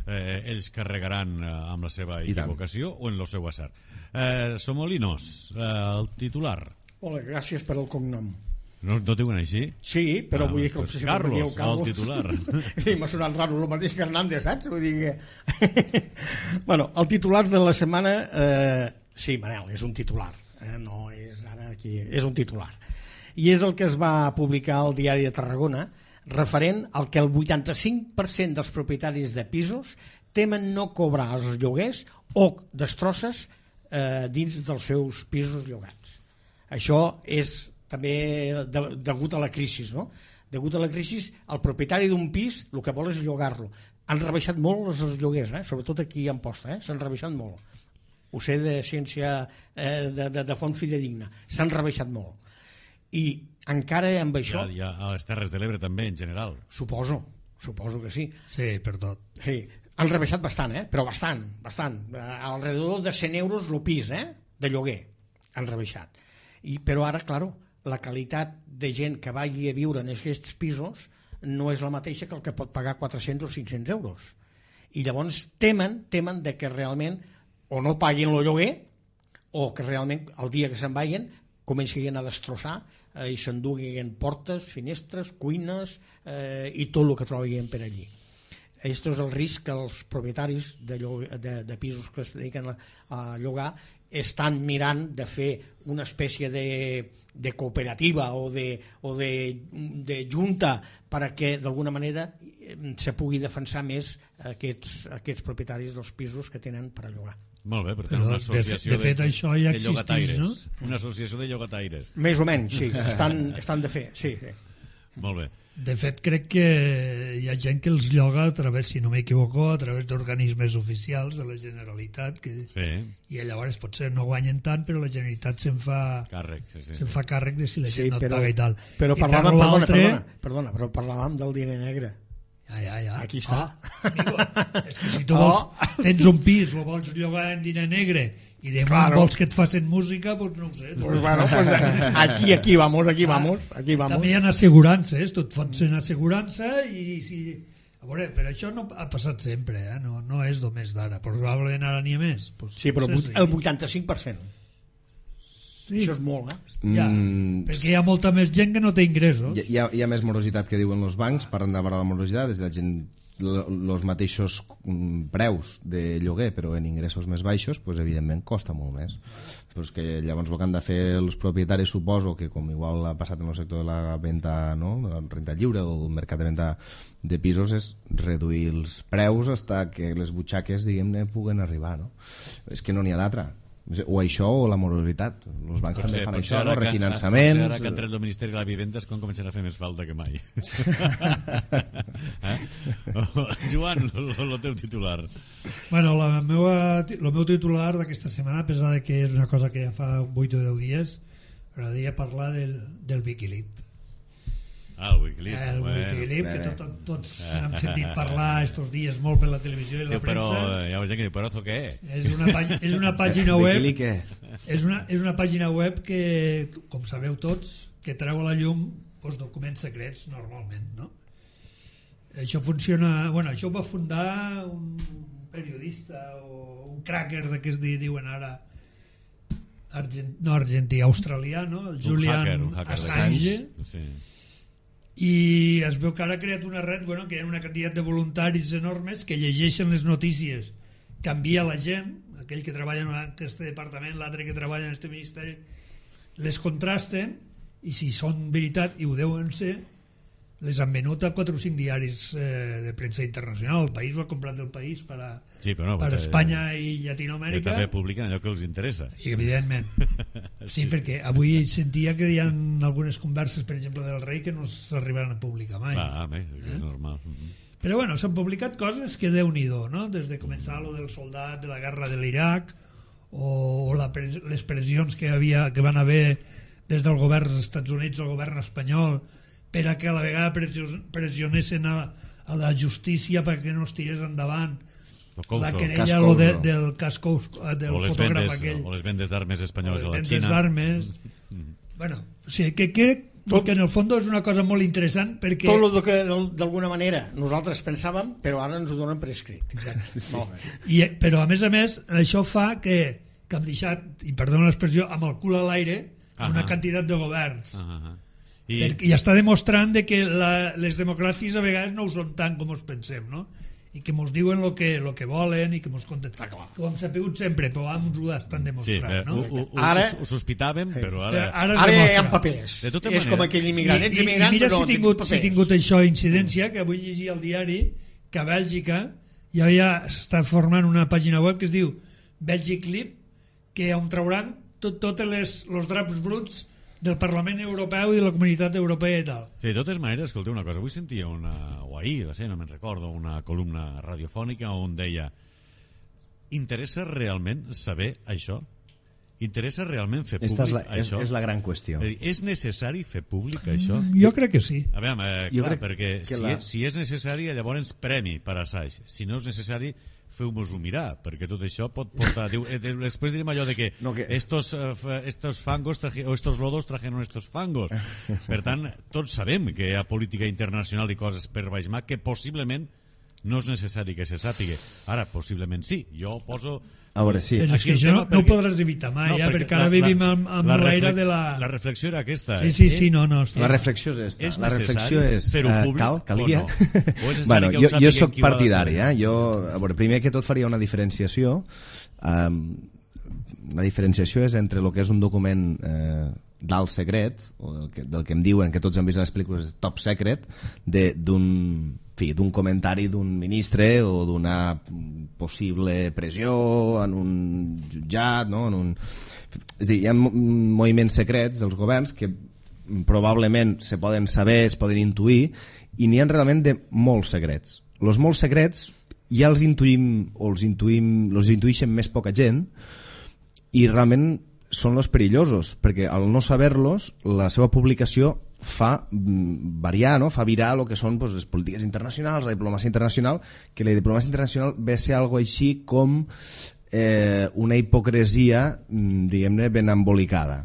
ells carregaran amb la seva equivocació o en el seu acer. Somolinos, el titular. Hola, gràcies per el cognom. No diuen així? Sí, però vull dir que... Pues Carlos, el titular. Sí, m'ha sonat raro, el mateix que Hernández, saps? Vull dir que... Bueno, el titular de la setmana... Sí, Manel, és un titular. No és ara aquí... És un titular. I és el que es va publicar al Diari de Tarragona, referent al que el 85% dels propietaris de pisos temen no cobrar els lloguers o destrosses dins dels seus pisos llogats. Això és també degut a la crisi, no? Degut a la crisi, el propietari d'un pis el que vol és llogar-lo. Han rebaixat molt els lloguers, sobretot aquí a Amposta, s'han rebaixat molt. Ho sé de ciència de font fidedigna, s'han rebaixat molt. I encara amb això... Ja a les Terres de l'Ebre també, en general. Suposo que sí. Sí, per tot. Sí. Han rebaixat bastant, però bastant. Alrededor de 100 euros el pis, de lloguer, han rebaixat. Però ara, clar, la qualitat de gent que vagi a viure en aquests pisos no és la mateixa que el que pot pagar 400 o 500 euros. I llavors temen de que realment o no paguin el lloguer o que realment el dia que se'n vagin comencin a destrossar i s'enduguin portes, finestres, cuines i tot el que trobin per allí. Aquest és el risc que els propietaris de pisos que es dediquen a llogar estan mirant de fer una espècie de cooperativa o de junta perquè d'alguna manera se pugui defensar més aquests propietaris dels pisos que tenen per a llogar. Molt bé, per tant, una associació de fet, això ja existeix, llogataires, no? Una associació de llogataires. Més o menys, sí, estan de fer, sí. Molt bé. De fet, crec que hi ha gent que els lloga a través, si no m'equivoco, a través d'organismes oficials de la Generalitat, sí. I llavors potser no guanyen tant, però la Generalitat se'n fa càrrec de si la gent no et paga i tal. Però parlàvem, perdona, però parlàvem del diner negre. Ja. Aquí està. Amigo, és que si tu tens un pis, lo vols llogar en diner negre i de moment vols que et facin música, doncs no ho sé. Pues bueno, aquí vamos. També hi ha assegurances, tu et fots en assegurança i si... A veure, però això no ha passat sempre, no és només d'ara, probablement ara n'hi ha més. Sí, però el 85%. Sí. Això és molt, perquè hi ha molta més gent que no té ingressos. Hi ha més morositat que diuen els bancs, parlant de la morositat, és la gent els mateixos preus de lloguer però en ingressos més baixos, pues, evidentment costa molt més. Pues que llavors el que han de fer els propietaris, suposo que com igual ha passat en el sector de la venda, no? De la renta lliure o el mercat de venda de pisos, és reduir els preus fins que les butxaques, diguem-ne, puguen arribar, no? És que no n'hi ha d'altra. O això o la morositat. Els bancs també fan això, no? Refinançaments. Ara que han tret el Ministeri de la Vivenda és quan començarà a fer més falta que mai. Joan, el teu titular. Bueno, el meu titular d'aquesta setmana, a pesar de que és una cosa que ja fa 8 o 10 dies, m'agradaria parlar del Wikileaks. El Wikileaks. El Wikileaks, que tots hem sentit parlar estos dies molt per la televisió i la premsa. Però hi ha gent que diu, però això què? És una pàgina web és una pàgina web que, com sabeu tots, que treu a la llum documents secrets normalment, no? Això funciona... Bueno, això ho va fundar un periodista o un cracker que es diuen ara argentí, australià, no? El Julian Assange. Sí. I es veu que ara ha creat una red, que hi ha una quantitat de voluntaris enormes que llegeixen les notícies que envia la gent, aquell que treballa en aquest departament, l'altre que treballa en aquest ministeri, les contrasten i si són veritat, i ho deuen ser, les han venut a 4 o 5 diaris de premsa internacional. El País ho ha comprat del País per Espanya i Llatinoamèrica. També publiquen allò que els interessa. I evidentment. Sí, perquè avui sentia que hi ha algunes converses, per exemple, del rei que no s'arribaran a publicar mai. És normal. Però bueno, s'han publicat coses que Déu-n'hi-do, no? Des de començar lo del soldat de la guerra de l'Iraq o les pressions que van haver des del govern dels Estats Units al govern espanyol per a que a la vegada pressionessin a la justícia perquè no es tirés endavant la querella del casco del fotògraf aquell. O les vendes d'armes espanyoles a la Xina. Les vendes d'armes. Bueno, o sigui, que en el fons és una cosa molt interessant perquè... Tot el que d'alguna manera nosaltres pensàvem, però ara ens ho donen per escrit. Exacte. Sí. Però a més, això fa que hem deixat, i perdona l'expressió, amb el cul a l'aire una quantitat de governs. I està demostrant que les democràcies a vegades no ho són tant com ens pensem, no? I que ens diuen el que volen i que ens contesten. Que ho hem sabut sempre, però ens ho estan demostrant, no? Ho sospitàvem, però ara hi ha papers. És com aquell immigrant. I mira si ha tingut això incidència, que avui llegia al diari que a Bèlgica ja està formant una pàgina web que es diu Belgic Clip, que on trauran tots els draps bruts del Parlament Europeu i de la Comunitat Europea i tal. Sí, de totes maneres, escolteu una cosa, avui sentia o ahir, no me'n recordo, una columna radiofònica on deia: interessa realment saber això? Interessa realment fer públic això? És la gran qüestió. És necessari fer públic això? Jo crec que sí. A veure, clar, perquè si és necessari, llavors premi per assaig. Si no és necessari, feu-mos-ho mirar, perquè tot això pot portar... Després direm allò de que estos fangos o estos lodos trajeron estos fangos. Per tant, tots sabem que hi ha política internacional i coses per baix mà que possiblement no és necessari que se sàpiga. Ara, possiblement sí. Jo poso... A veure, sí. És que això no ho podràs evitar mai, perquè ara vivim amb l'era de la... La reflexió era aquesta. Sí, no. La reflexió és aquesta. És la reflexió és... calia? Bueno, jo soc partidari, Jo, a veure, primer que tot faria una diferenciació. La diferenciació és entre el que és un document d'alt secret, o del que em diuen, que tots hem vist en les pel·lícules, top secret, d'un comentari d'un ministre o d'una possible pressió en un jutjat, no? És a dir, hi ha moviments secrets dels governs que probablement se poden saber, es poden intuir, i n'hi ha realment de molts secrets. Els molts secrets ja els intuïm o els intuïxen més poca gent, i realment són els perillosos, perquè al no saber-los la seva publicació fa variar, no? Fa virar el que són les polítiques internacionals, la diplomàcia internacional, que la diplomàcia internacional ve a ser algo així com una hipocresia, diguem-ne, ben embolicada.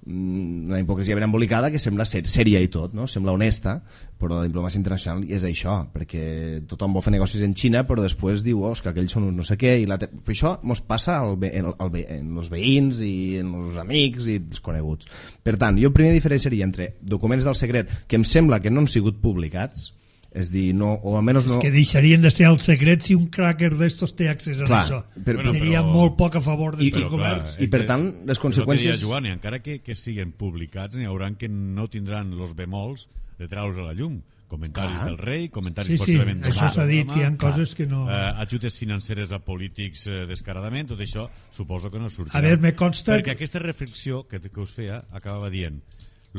Una hipocresia ben embolicada que sembla sèria i tot, no? Sembla honesta, però la diplomàcia internacional és això, perquè tothom vol fer negocis en Xina, però després diu que aquells són no sé què, i però això ens passa en els veïns i en els amics i desconeguts. Per tant, jo primer diferenciaria entre documents del secret que em sembla que no han sigut publicats, és dir, no, o almenys no... És que deixarien de ser el secret si un cracker d'estos té accés a això. Tenia molt poc a favor d'estos governs. I per tant, les conseqüències... Deia Joan, encara que siguin publicats, n'hi haurà que no tindran els bemols de treure's a la llum. Comentaris del rei, comentaris possiblement... Sí, això s'ha dit, que hi ha coses que no... Ajutes financeres a polítics descaradament, tot això suposo que no sortirà. A veure, me consta... Perquè aquesta reflexió que us feia acabava dient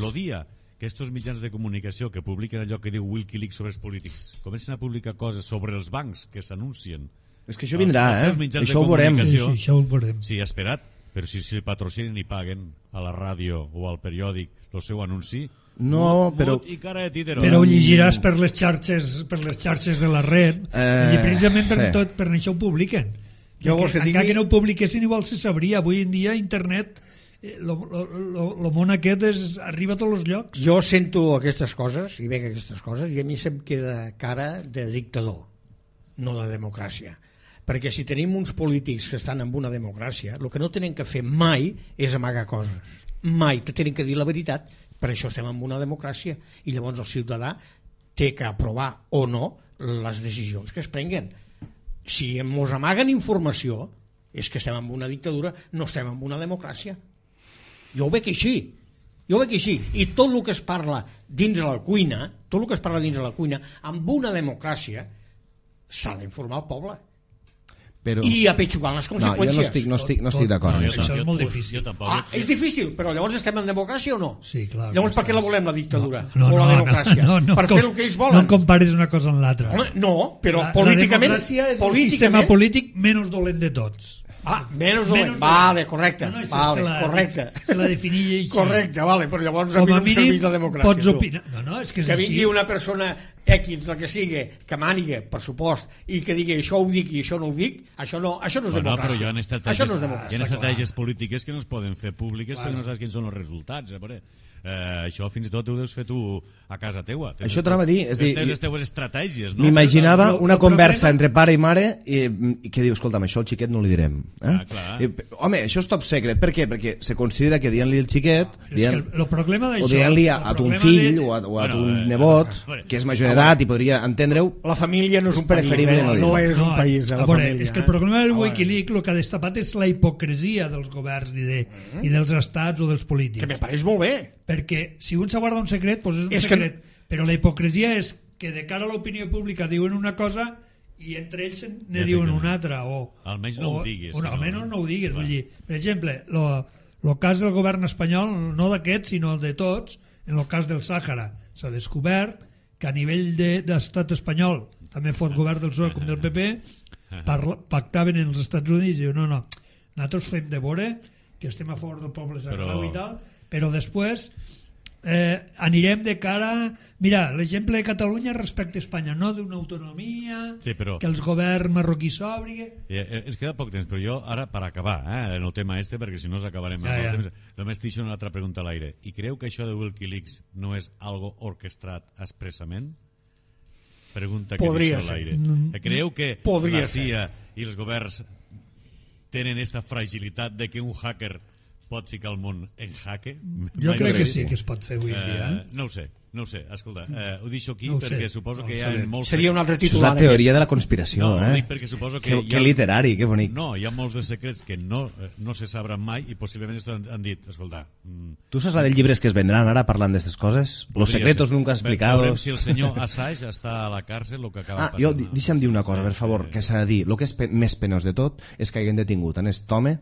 lo dia que estos mitjans de comunicació que publiquen allò que diu Wikileaks sobre els polítics comencen a publicar coses sobre els bancs que s'anuncien. És que això vindrà, això ho veurem. Sí, això ho veurem. Sí, esperat, però si el patrocinen i paguen a la ràdio o al periòdic el seu anunci, no, però ho llegiràs per les xarxes de la ret, i precisament per això ho publiquen. Encara que no ho publiquessin igual se sabria. Avui en dia internet, el món aquest arriba a tots els llocs. Jo sento aquestes coses i veig aquestes coses i a mi se'm queda cara de dictador, no de democràcia, perquè si tenim uns polítics que estan en una democràcia, el que no tenen que fer mai és amagar coses, mai tenen que dir la veritat. Per això estem en una democràcia, i llavors el ciutadà té que aprovar o no les decisions que es prenguen. Si ens amaguen informació és que estem en una dictadura, no estem en una democràcia. Jo ho veig així, i tot el que es parla dins de la cuina, amb una democràcia s'ha d'informar al poble. I apitxugar les conseqüències. No estic d'acord amb això. Això és molt difícil. És difícil, però llavors estem en democràcia o no? Sí, clar. Llavors per què la volem, la dictadura o la democràcia? Per fer el que ells volen. No comparis una cosa amb l'altra. No, però políticament... La democràcia és el sistema polític menys dolent de tots. Menys dolent. Vale, correcte. Correcte. Se la definia així. Correcte, vale, però llavors a mi no em serveix la democràcia. Pots opinar. No, és que és que així. vingui una persona X, la que sigui, que màniga, per supost, i que digui això ho dic i això no ho dic, això no és democràcia. Però hi ha estratègies polítiques que no es poden fer públiques perquè no saps quins són els resultats. Això fins i tot ho deus fer tu a casa teua. Això t'anava a dir. Les teves estratègies, no? M'imaginava una conversa entre pare i mare i que diu, escolta'm, això al xiquet no li direm. Home, això és top secret. Per què? Perquè se considera que dient-li al xiquet o dient-li a ton fill o a ton nebot, que és major d'edat i podria entendre-ho, la família no és un país, no és un país de la família. És que el problema del Wikileaks el que ha destapat és la hipocresia dels governs i dels estats o dels polítics. Que me pareix molt bé. Perquè si un s'aguarda un secret, doncs és un secret. Però la hipocresia és que de cara a l'opinió pública diuen una cosa i entre ells ne diuen una altra. Almenys no ho diguis. Almenys no ho diguis. Vull dir, per exemple, el cas del govern espanyol, no d'aquest, sinó de tots, en el cas del Sàhara, s'ha descobert que a nivell d'estat espanyol, també fot govern del PSOE com del PP, pactaven en els Estats Units i diuen, no, nosaltres fem de veure que estem a favor del poble saharaui i tal, però després anirem de cara... Mira, l'exemple de Catalunya respecte a Espanya, no d'una autonomia, Sí, però- que els governs marroquí s'obri... Ens queda poc temps, però jo ara, per acabar en el tema perquè si no s'acabarem Ja, ja. només t'hi una altra pregunta a l'aire. I creu que això de Wikileaks no és algo orquestrat expressament? Pregunta que Podria deixo a ser. l'aire. Creu que Podria la CIA i els governs tenen esta fragilitat de que un hacker pot ficar el món en jaque? Jo Mai crec no que crec. sí que es pot fer avui en dia. No ho sé, escolta, ho deixo aquí No ho sé. perquè suposo que hi ha molts... Seria un altre Això és titular. la teoria de la conspiració, No, ho dic perquè suposo que... Que literari, que bonic. No, hi ha molts de secrets que no se sabran mai i possiblement esto han dit, escolta... Tu saps la de llibres que es vendran ara parlant d'aquestes coses? Los secretos nunca Veurem explicados. si el senyor Assange està a la càrcel, el que acaba passant. Jo, deixa'm dir una cosa, per favor, que s'ha de dir. El que és més penós de tot és que hagin detingut en aquest home,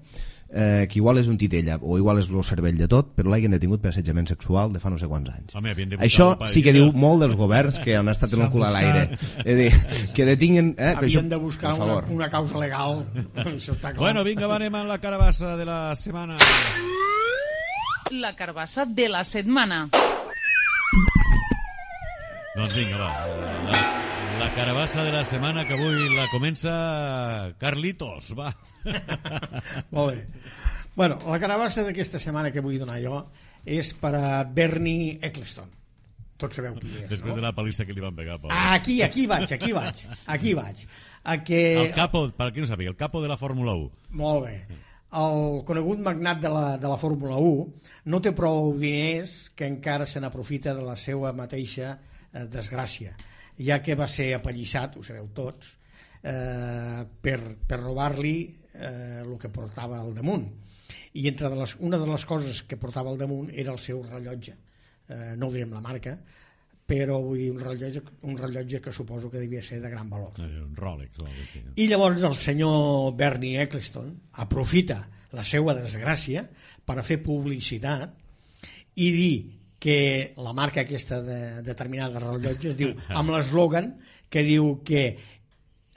que igual és un titella o igual és el cervell de tot, però l'hagin detingut per assetjament sexual de fa no sé quants anys. Home, havien de Això buscar-lo per sí que allà. diu molt dels governs que han estat en el cul a l'aire. És a dir, que detinguen... que Havien això- de buscar per favor. una causa legal. Això està clar. Bueno, vinga, anem amb la carabassa de la setmana. La carbassa de la setmana. Doncs vinga, va. La carabassa de la setmana que avui la comença Carlitos, va. Molt bé. Bueno, la carabassa d'aquesta setmana que vull donar jo és per a Bernie Ecclestone. Tots sabeu qui és, Després de no? la palissa que li van pegar. Pau. Aquí vaig. A que... El capo, per qui no sàpiga, el capo de la Fórmula 1. Molt bé. El conegut magnat de la Fórmula 1 no té prou diners que encara se n'aprofita de la seva mateixa desgràcia, ja que va ser apallissat, ho sabeu tots, per robar-li el que portava al damunt. I una de les coses que portava al damunt era el seu rellotge. No ho direm la marca, però vull dir un rellotge que suposo que devia ser de gran valor. Un Rolex o alguna cosa. I llavors el senyor Bernie Ecclestone aprofita la seva desgràcia per a fer publicitat i dir que la marca aquesta de determinada rellotges diu, amb l'eslògan que diu que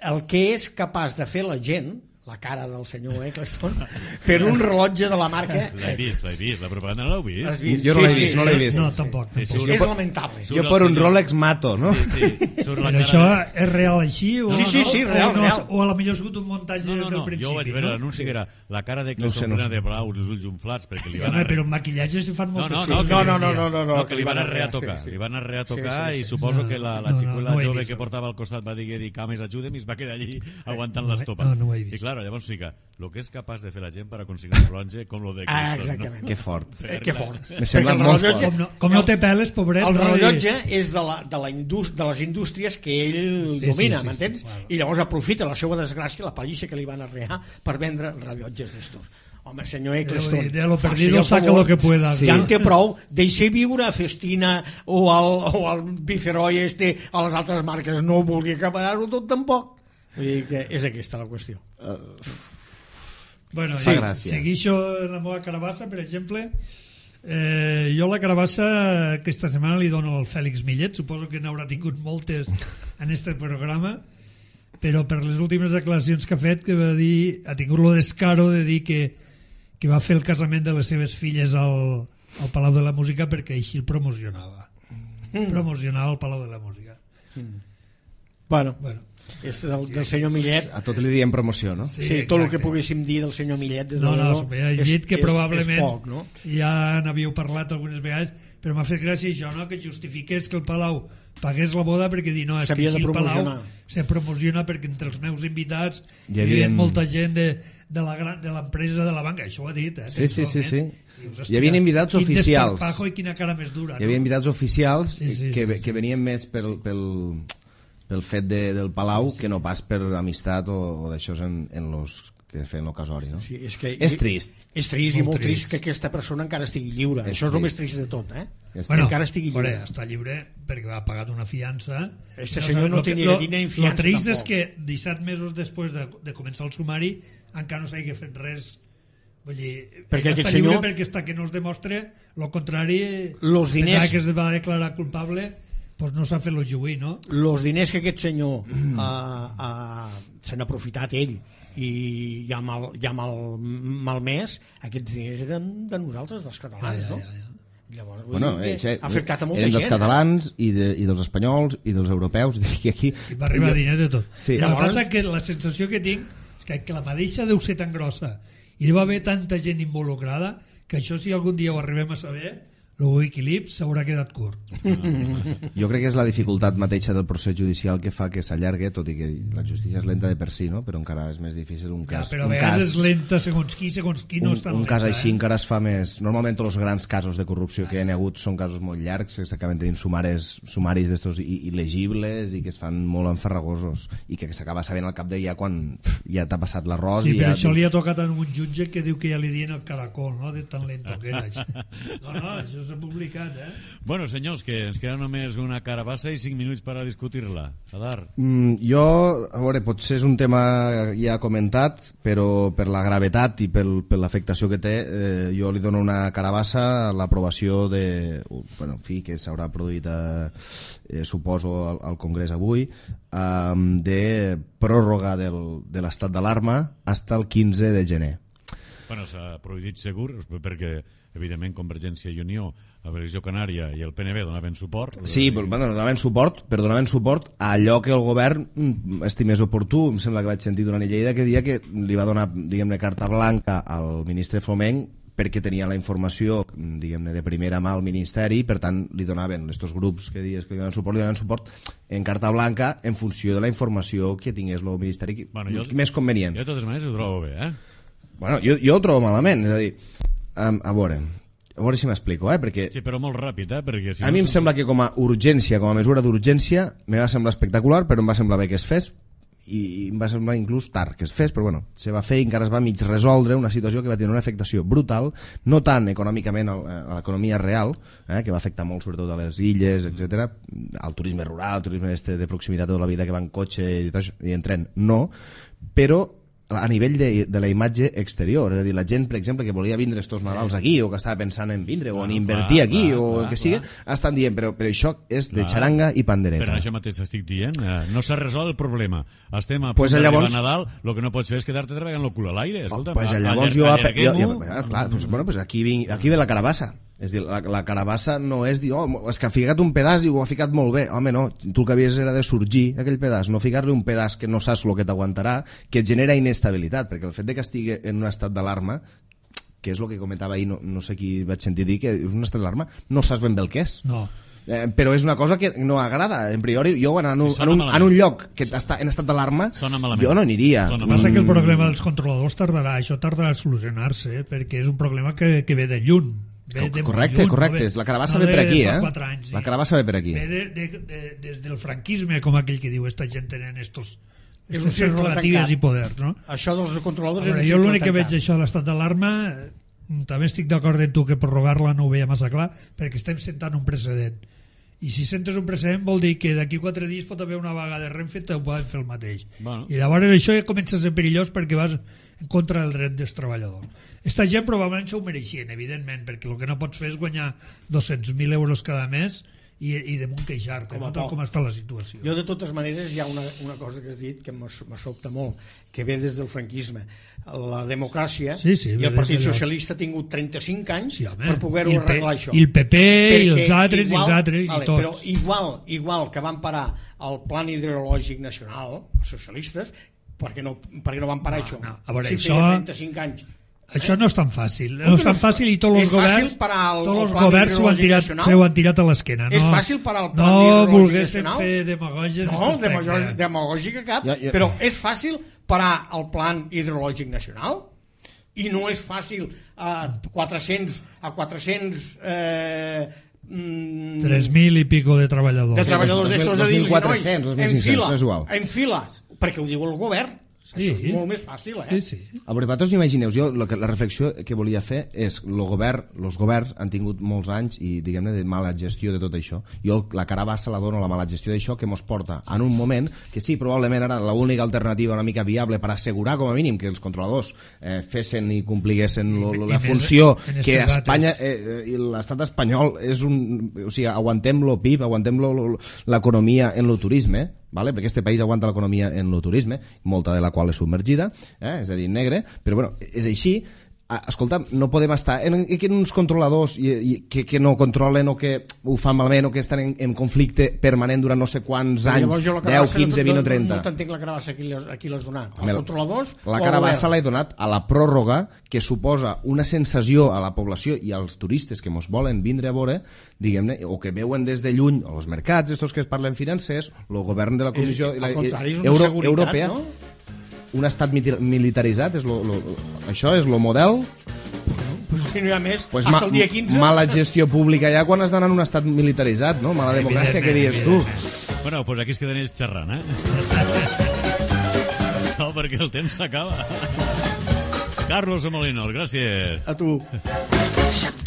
el que és capaç de fer la gent, la cara del senyor Ecclestone, per un rellotge de la marca... L'he vist, la propaganda no l'heu vist? Has vist? Jo no l'he vist, no l'he vist. No, tampoc. Sí, tampoc. surt- És lamentable. Surt Jo el per un senyor- Rolex mato, no? Sí, surt la Però cara això de- és real així? O Sí, real, o real. O a la millor ha sigut un muntatge No, des del principi. jo ho vaig veure, l'anunci que era la cara de No ho sé, Cleston no ho plena sé. de blau, els ulls inflats, perquè li Sí, van home, però amb maquillatge s'hi fan moltes No, coses. que li van arrear a tocar, li van arrear a tocar Sí, i suposo No, que la no, xicuela no ho he jove vist. que portava al costat va dir cames ajudem i es va quedar allí aguantant l'estopa. no ho he vist. I clar, llavors fica lo que és capaç de fer la gent per aconseguir un rellotge com lo de Cleston. Exactament. Que fort. Que fort. Me sembla Perquè el molt rellotge- fort. Com no té peles, pobret. El no li- rellotge és de les indústries que ell Sí, domina, sí, m'entens? sí, claro. I llavors aprofita la seva desgràcia, la pallissa que li van arrear, per vendre rellotges d'estos. Home, senyor Ecclestone, De lo faci perdido el saca favor. lo que pueda. Ja en té prou, deixi viure a Festina o al Viceroy a les altres marques, no vulgui acabar-ho tot tampoc. Vull dir que és aquesta la qüestió. Bueno, Fa sí, gràcia. seguixo la meva carabassa, per exemple. Jo la carabassa aquesta setmana li dono al Fèlix Millet, suposo que n'haurà tingut moltes en este programa, però per les últimes declaracions que ha fet, que va dir, ha tingut lo descaro de dir que va fer el casament de les seves filles al Palau de la Música perquè així el promocionava. Promocionava el Palau de la Música. Bueno, Bueno, és del senyor Millet. A tot li diem promoció, no? Sí, tot el que exacte. poguéssim dir del senyor Millet des de No, luego, he dit que probablement és poc, no? ja n'havíeu parlat algunes vegades, però m'ha fet gràcia això, no? Que justifiqués que el Palau pagués la boda perquè dir, no, és que S'havia de si el Palau promocionar. se promociona perquè entre els meus invitats Hi hi havia havia molta gent de l'empresa de la banca, això ho ha dit, Sí, sí, sí, sí. Dius, Hi havia invitats quin oficials. desparpajo i quina cara més dura, Hi havia invitats oficials Sí, que venien més pel fet del Palau que no pas per amistat o d'això en los que feien el casori, no? Sí, és, que, És trist. És trist i Molt molt trist trist que aquesta persona encara estigui lliure. És Això és el més trist. trist de tot, eh? És Bueno, encara estigui lliure. veure, està lliure perquè ha pagat una fiança. Este senyor no té ni fiança, Lo trist és tampoc. que 17 mesos després de començar el sumari encara no s'hagi fet res. Vull dir, Perquè ell aquest està senyor- lliure perquè està que no es demostre el contrari. Los a pesar diners- que es va declarar culpable, doncs no s'ha fet el juí, no? Els diners que aquest senyor se n'ha aprofitat ell i ja mal malmès, aquests diners eren de nosaltres, dels catalans, no? Llavors, Bueno, ha afectat a molta eren gent. dels catalans i dels espanyols i dels europeus. I aquí... I va arribar diners de tot. Sí. El que passa que la sensació que tinc és que la madeixa deu ser tan grossa i hi va haver tanta gent involucrada que això, si algun dia ho arribem a saber, el Wikileaks s'haurà quedat curt. Jo crec que és la dificultat mateixa del procés judicial que fa que s'allargue, tot i que la justícia és lenta de per si, no? Però encara és més difícil un cas. Però a vegades és lenta segons qui no és tan un lenta. cas així encara es fa més... Normalment tots els grans casos de corrupció que hi ha hagut són casos molt llargs, que s'acaben tenint sumaris d'estos il·legibles i que es fan molt enfarragosos i que s'acaba sabent al cap de ja quan ja t'ha passat l'arròs. Sí, i però ja... això li ha tocat a un jutge que diu que ja li diuen el caracol, no?, de tan lento que era. No, això s'ha publicat, Bueno, senyors, que ens queda només una carabassa i 5 minuts per a discutir-la. Adar. Jo, a veure, potser és un tema ja comentat, però per la gravetat i per l'afectació que té, jo li dono una carabassa a l'aprovació de... Bueno, en fi, que s'haurà produït, suposo, al Congrés avui, de pròrroga de l'estat d'alarma fins al 15 de gener. Bueno, s'ha prohibit segur, perquè, evidentment, Convergència i Unió, la Televisió Canària i el PNB donaven suport. Sí, però donaven suport a allò que el govern estimés oportú. Em sembla que vaig sentir durant Lleida que dia que li va donar, diguem-ne, carta blanca al ministre Foment perquè tenia la informació, diguem-ne, de primera mà al Ministeri, per tant, li donaven, estos grups que dius que li donaven suport en carta blanca en funció de la informació que tingués el Ministeri més convenient. Jo, de totes maneres, ho trobo bé, Bueno, jo ho trobo malament, és a dir, a veure si m'explico, perquè... Sí, però molt ràpid, perquè... Si a mi em sembla que com a urgència, com a mesura d'urgència, me va semblar espectacular, però em va semblar bé que es fes, i em va semblar inclús tard que es fes, però bueno, se va fer i encara es va mig resoldre una situació que va tenir una afectació brutal, no tant econòmicament a l'economia real, que va afectar molt sobretot a les illes, etc, al turisme rural, al turisme de proximitat tota la vida que va en cotxe i en tren, no, però a nivell de la imatge exterior, és a dir, la gent, per exemple, que volia vindre estos Nadals aquí, o que estava pensant en vindre, o en invertir aquí, o que sigui, estan dient, però això és de xaranga i pandereta. Per això mateix t'estic dient, no s'ha resolt el problema, estem a punt d'arribar a Nadal, el que no pots fer és quedar-te treballant el cul a l'aire, escolta. Pues llavors jo aquí ve la carabassa. És dir, la carabassa no és dir, és que ha ficat un pedaç i ho ha ficat molt bé. Home, no, tu el que havies era de sorgir aquell pedaç, no ficar-li un pedaç que no saps el que t'aguantarà, que et genera inestabilitat, perquè el fet de que estigui en un estat d'alarma, que és el que comentava ahir, no sé qui vaig sentir dir, que és un estat d'alarma, no saps ben bé el que és. No. Però és una cosa que no agrada. En priori, jo en un lloc que està en estat d'alarma, jo no aniria. Passa que el problema dels controladors tardarà a solucionar-se, perquè és un problema que ve de lluny. Correcte, la carabassa ve per aquí, la carabassa ve per aquí. Ve des del franquisme, com aquell que diu esta gent tenen estos relatives i poders, no? Això dels controladors és un jo l'únic que veig això de l'estat d'alarma, també estic d'acord amb tu que prorrogar-la no ho veia massa clar, perquè estem sentant un precedent, i si sentes un precedent vol dir que d'aquí 4 dies pot haver una vaga de Renfe i te poden fer el mateix, i llavors això ja comença a ser perillós perquè vas en contra del dret dels treballadors. Esta gent probablement s'ho mereixien, evidentment, perquè el que no pots fer és guanyar 200.000 euros cada mes i damunt queixar-te, tal com està la situació. Jo, de totes maneres, hi ha una cosa que has dit que m'assobta molt, que ve des del franquisme. La democràcia i el Partit Socialista ha tingut 35 anys per poder-ho arreglar, això. I el PP, i els altres, i tots. Però igual que van parar el Plan Hidrològic Nacional, els socialistes, perquè no van parar això? A veure, si feia 35 anys. Això no és tan fàcil. No és tan fàcil i tots els governs s'ho han tirat a l'esquena. És fàcil parar el Plan Hidrològic Nacional? No volguessin fer demagògia. No, demagògica cap. Però és fàcil parar el Plan Hidrològic Nacional? I no és fàcil a 3.000 i pico de treballadors. De treballadors d'estos de dins i nois. En fila. Perquè ho diu el govern. Això és molt més fàcil, Sí. A veure, vosaltres imagineu, la reflexió que volia fer és els governs han tingut molts anys i, diguem-ne, de mala gestió de tot això. Jo la carabassa la dono a la mala gestió d'això, que mos porta en un moment que sí, probablement era l'única alternativa una mica viable per assegurar, com a mínim, que els controladors fessin i compliguessin la funció que Espanya i l'estat espanyol és un... O sigui, aguantem el PIB, aguantem l'economia en el turisme, perquè este país aguanta l'economia en el turisme, molta de la qual és submergida, és a dir, negre, però bueno, és així. escolta, no podem estar en uns controladors que no controlen o que ho fan malament o que estan en conflicte permanent durant no sé quants anys, 10, 15, 20 o 30. No t'entenc la carabassa, qui l'has donat? Els controladors? La carabassa l'he donat a la pròrroga, que suposa una sensació a la població i als turistes que mos volen vindre a veure, diguem-ne, o que veuen des de lluny, o els mercats, estos que es parlen financers, el govern de la Comissió Europea, no? Un estat militaritzat, això és el model. Si no hi ha més, hasta el dia 15. Mala gestió pública ja quan has d'anar en un estat militaritzat, no? Mala democràcia, què dius tu? Bueno, doncs aquí es queden ells xerrant, No, perquè el temps s'acaba. Carlos Molinos, gràcies. A tu.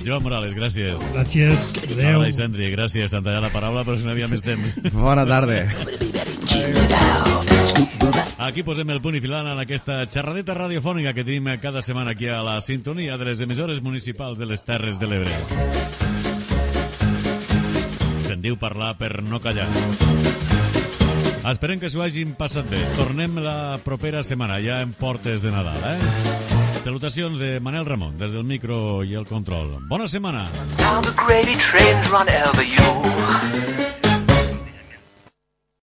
Joan Morales, gràcies. Gràcies. Adéu. Hola, Isandri, gràcies. T'han tallat la paraula, però si no havia més temps. Bona tarda. Aquí posem el punt i final en aquesta xerradeta radiofònica que tenim cada setmana aquí a la sintonia de les emissores municipals de les Terres de l'Ebre. Se'n diu parlar per no callar. Esperem que s'ho hagin passat bé. Tornem la propera setmana, ja en portes de Nadal, Salutacions de Manel Ramon, des del micro i el control. Bona setmana! Now the gravy trains run over you.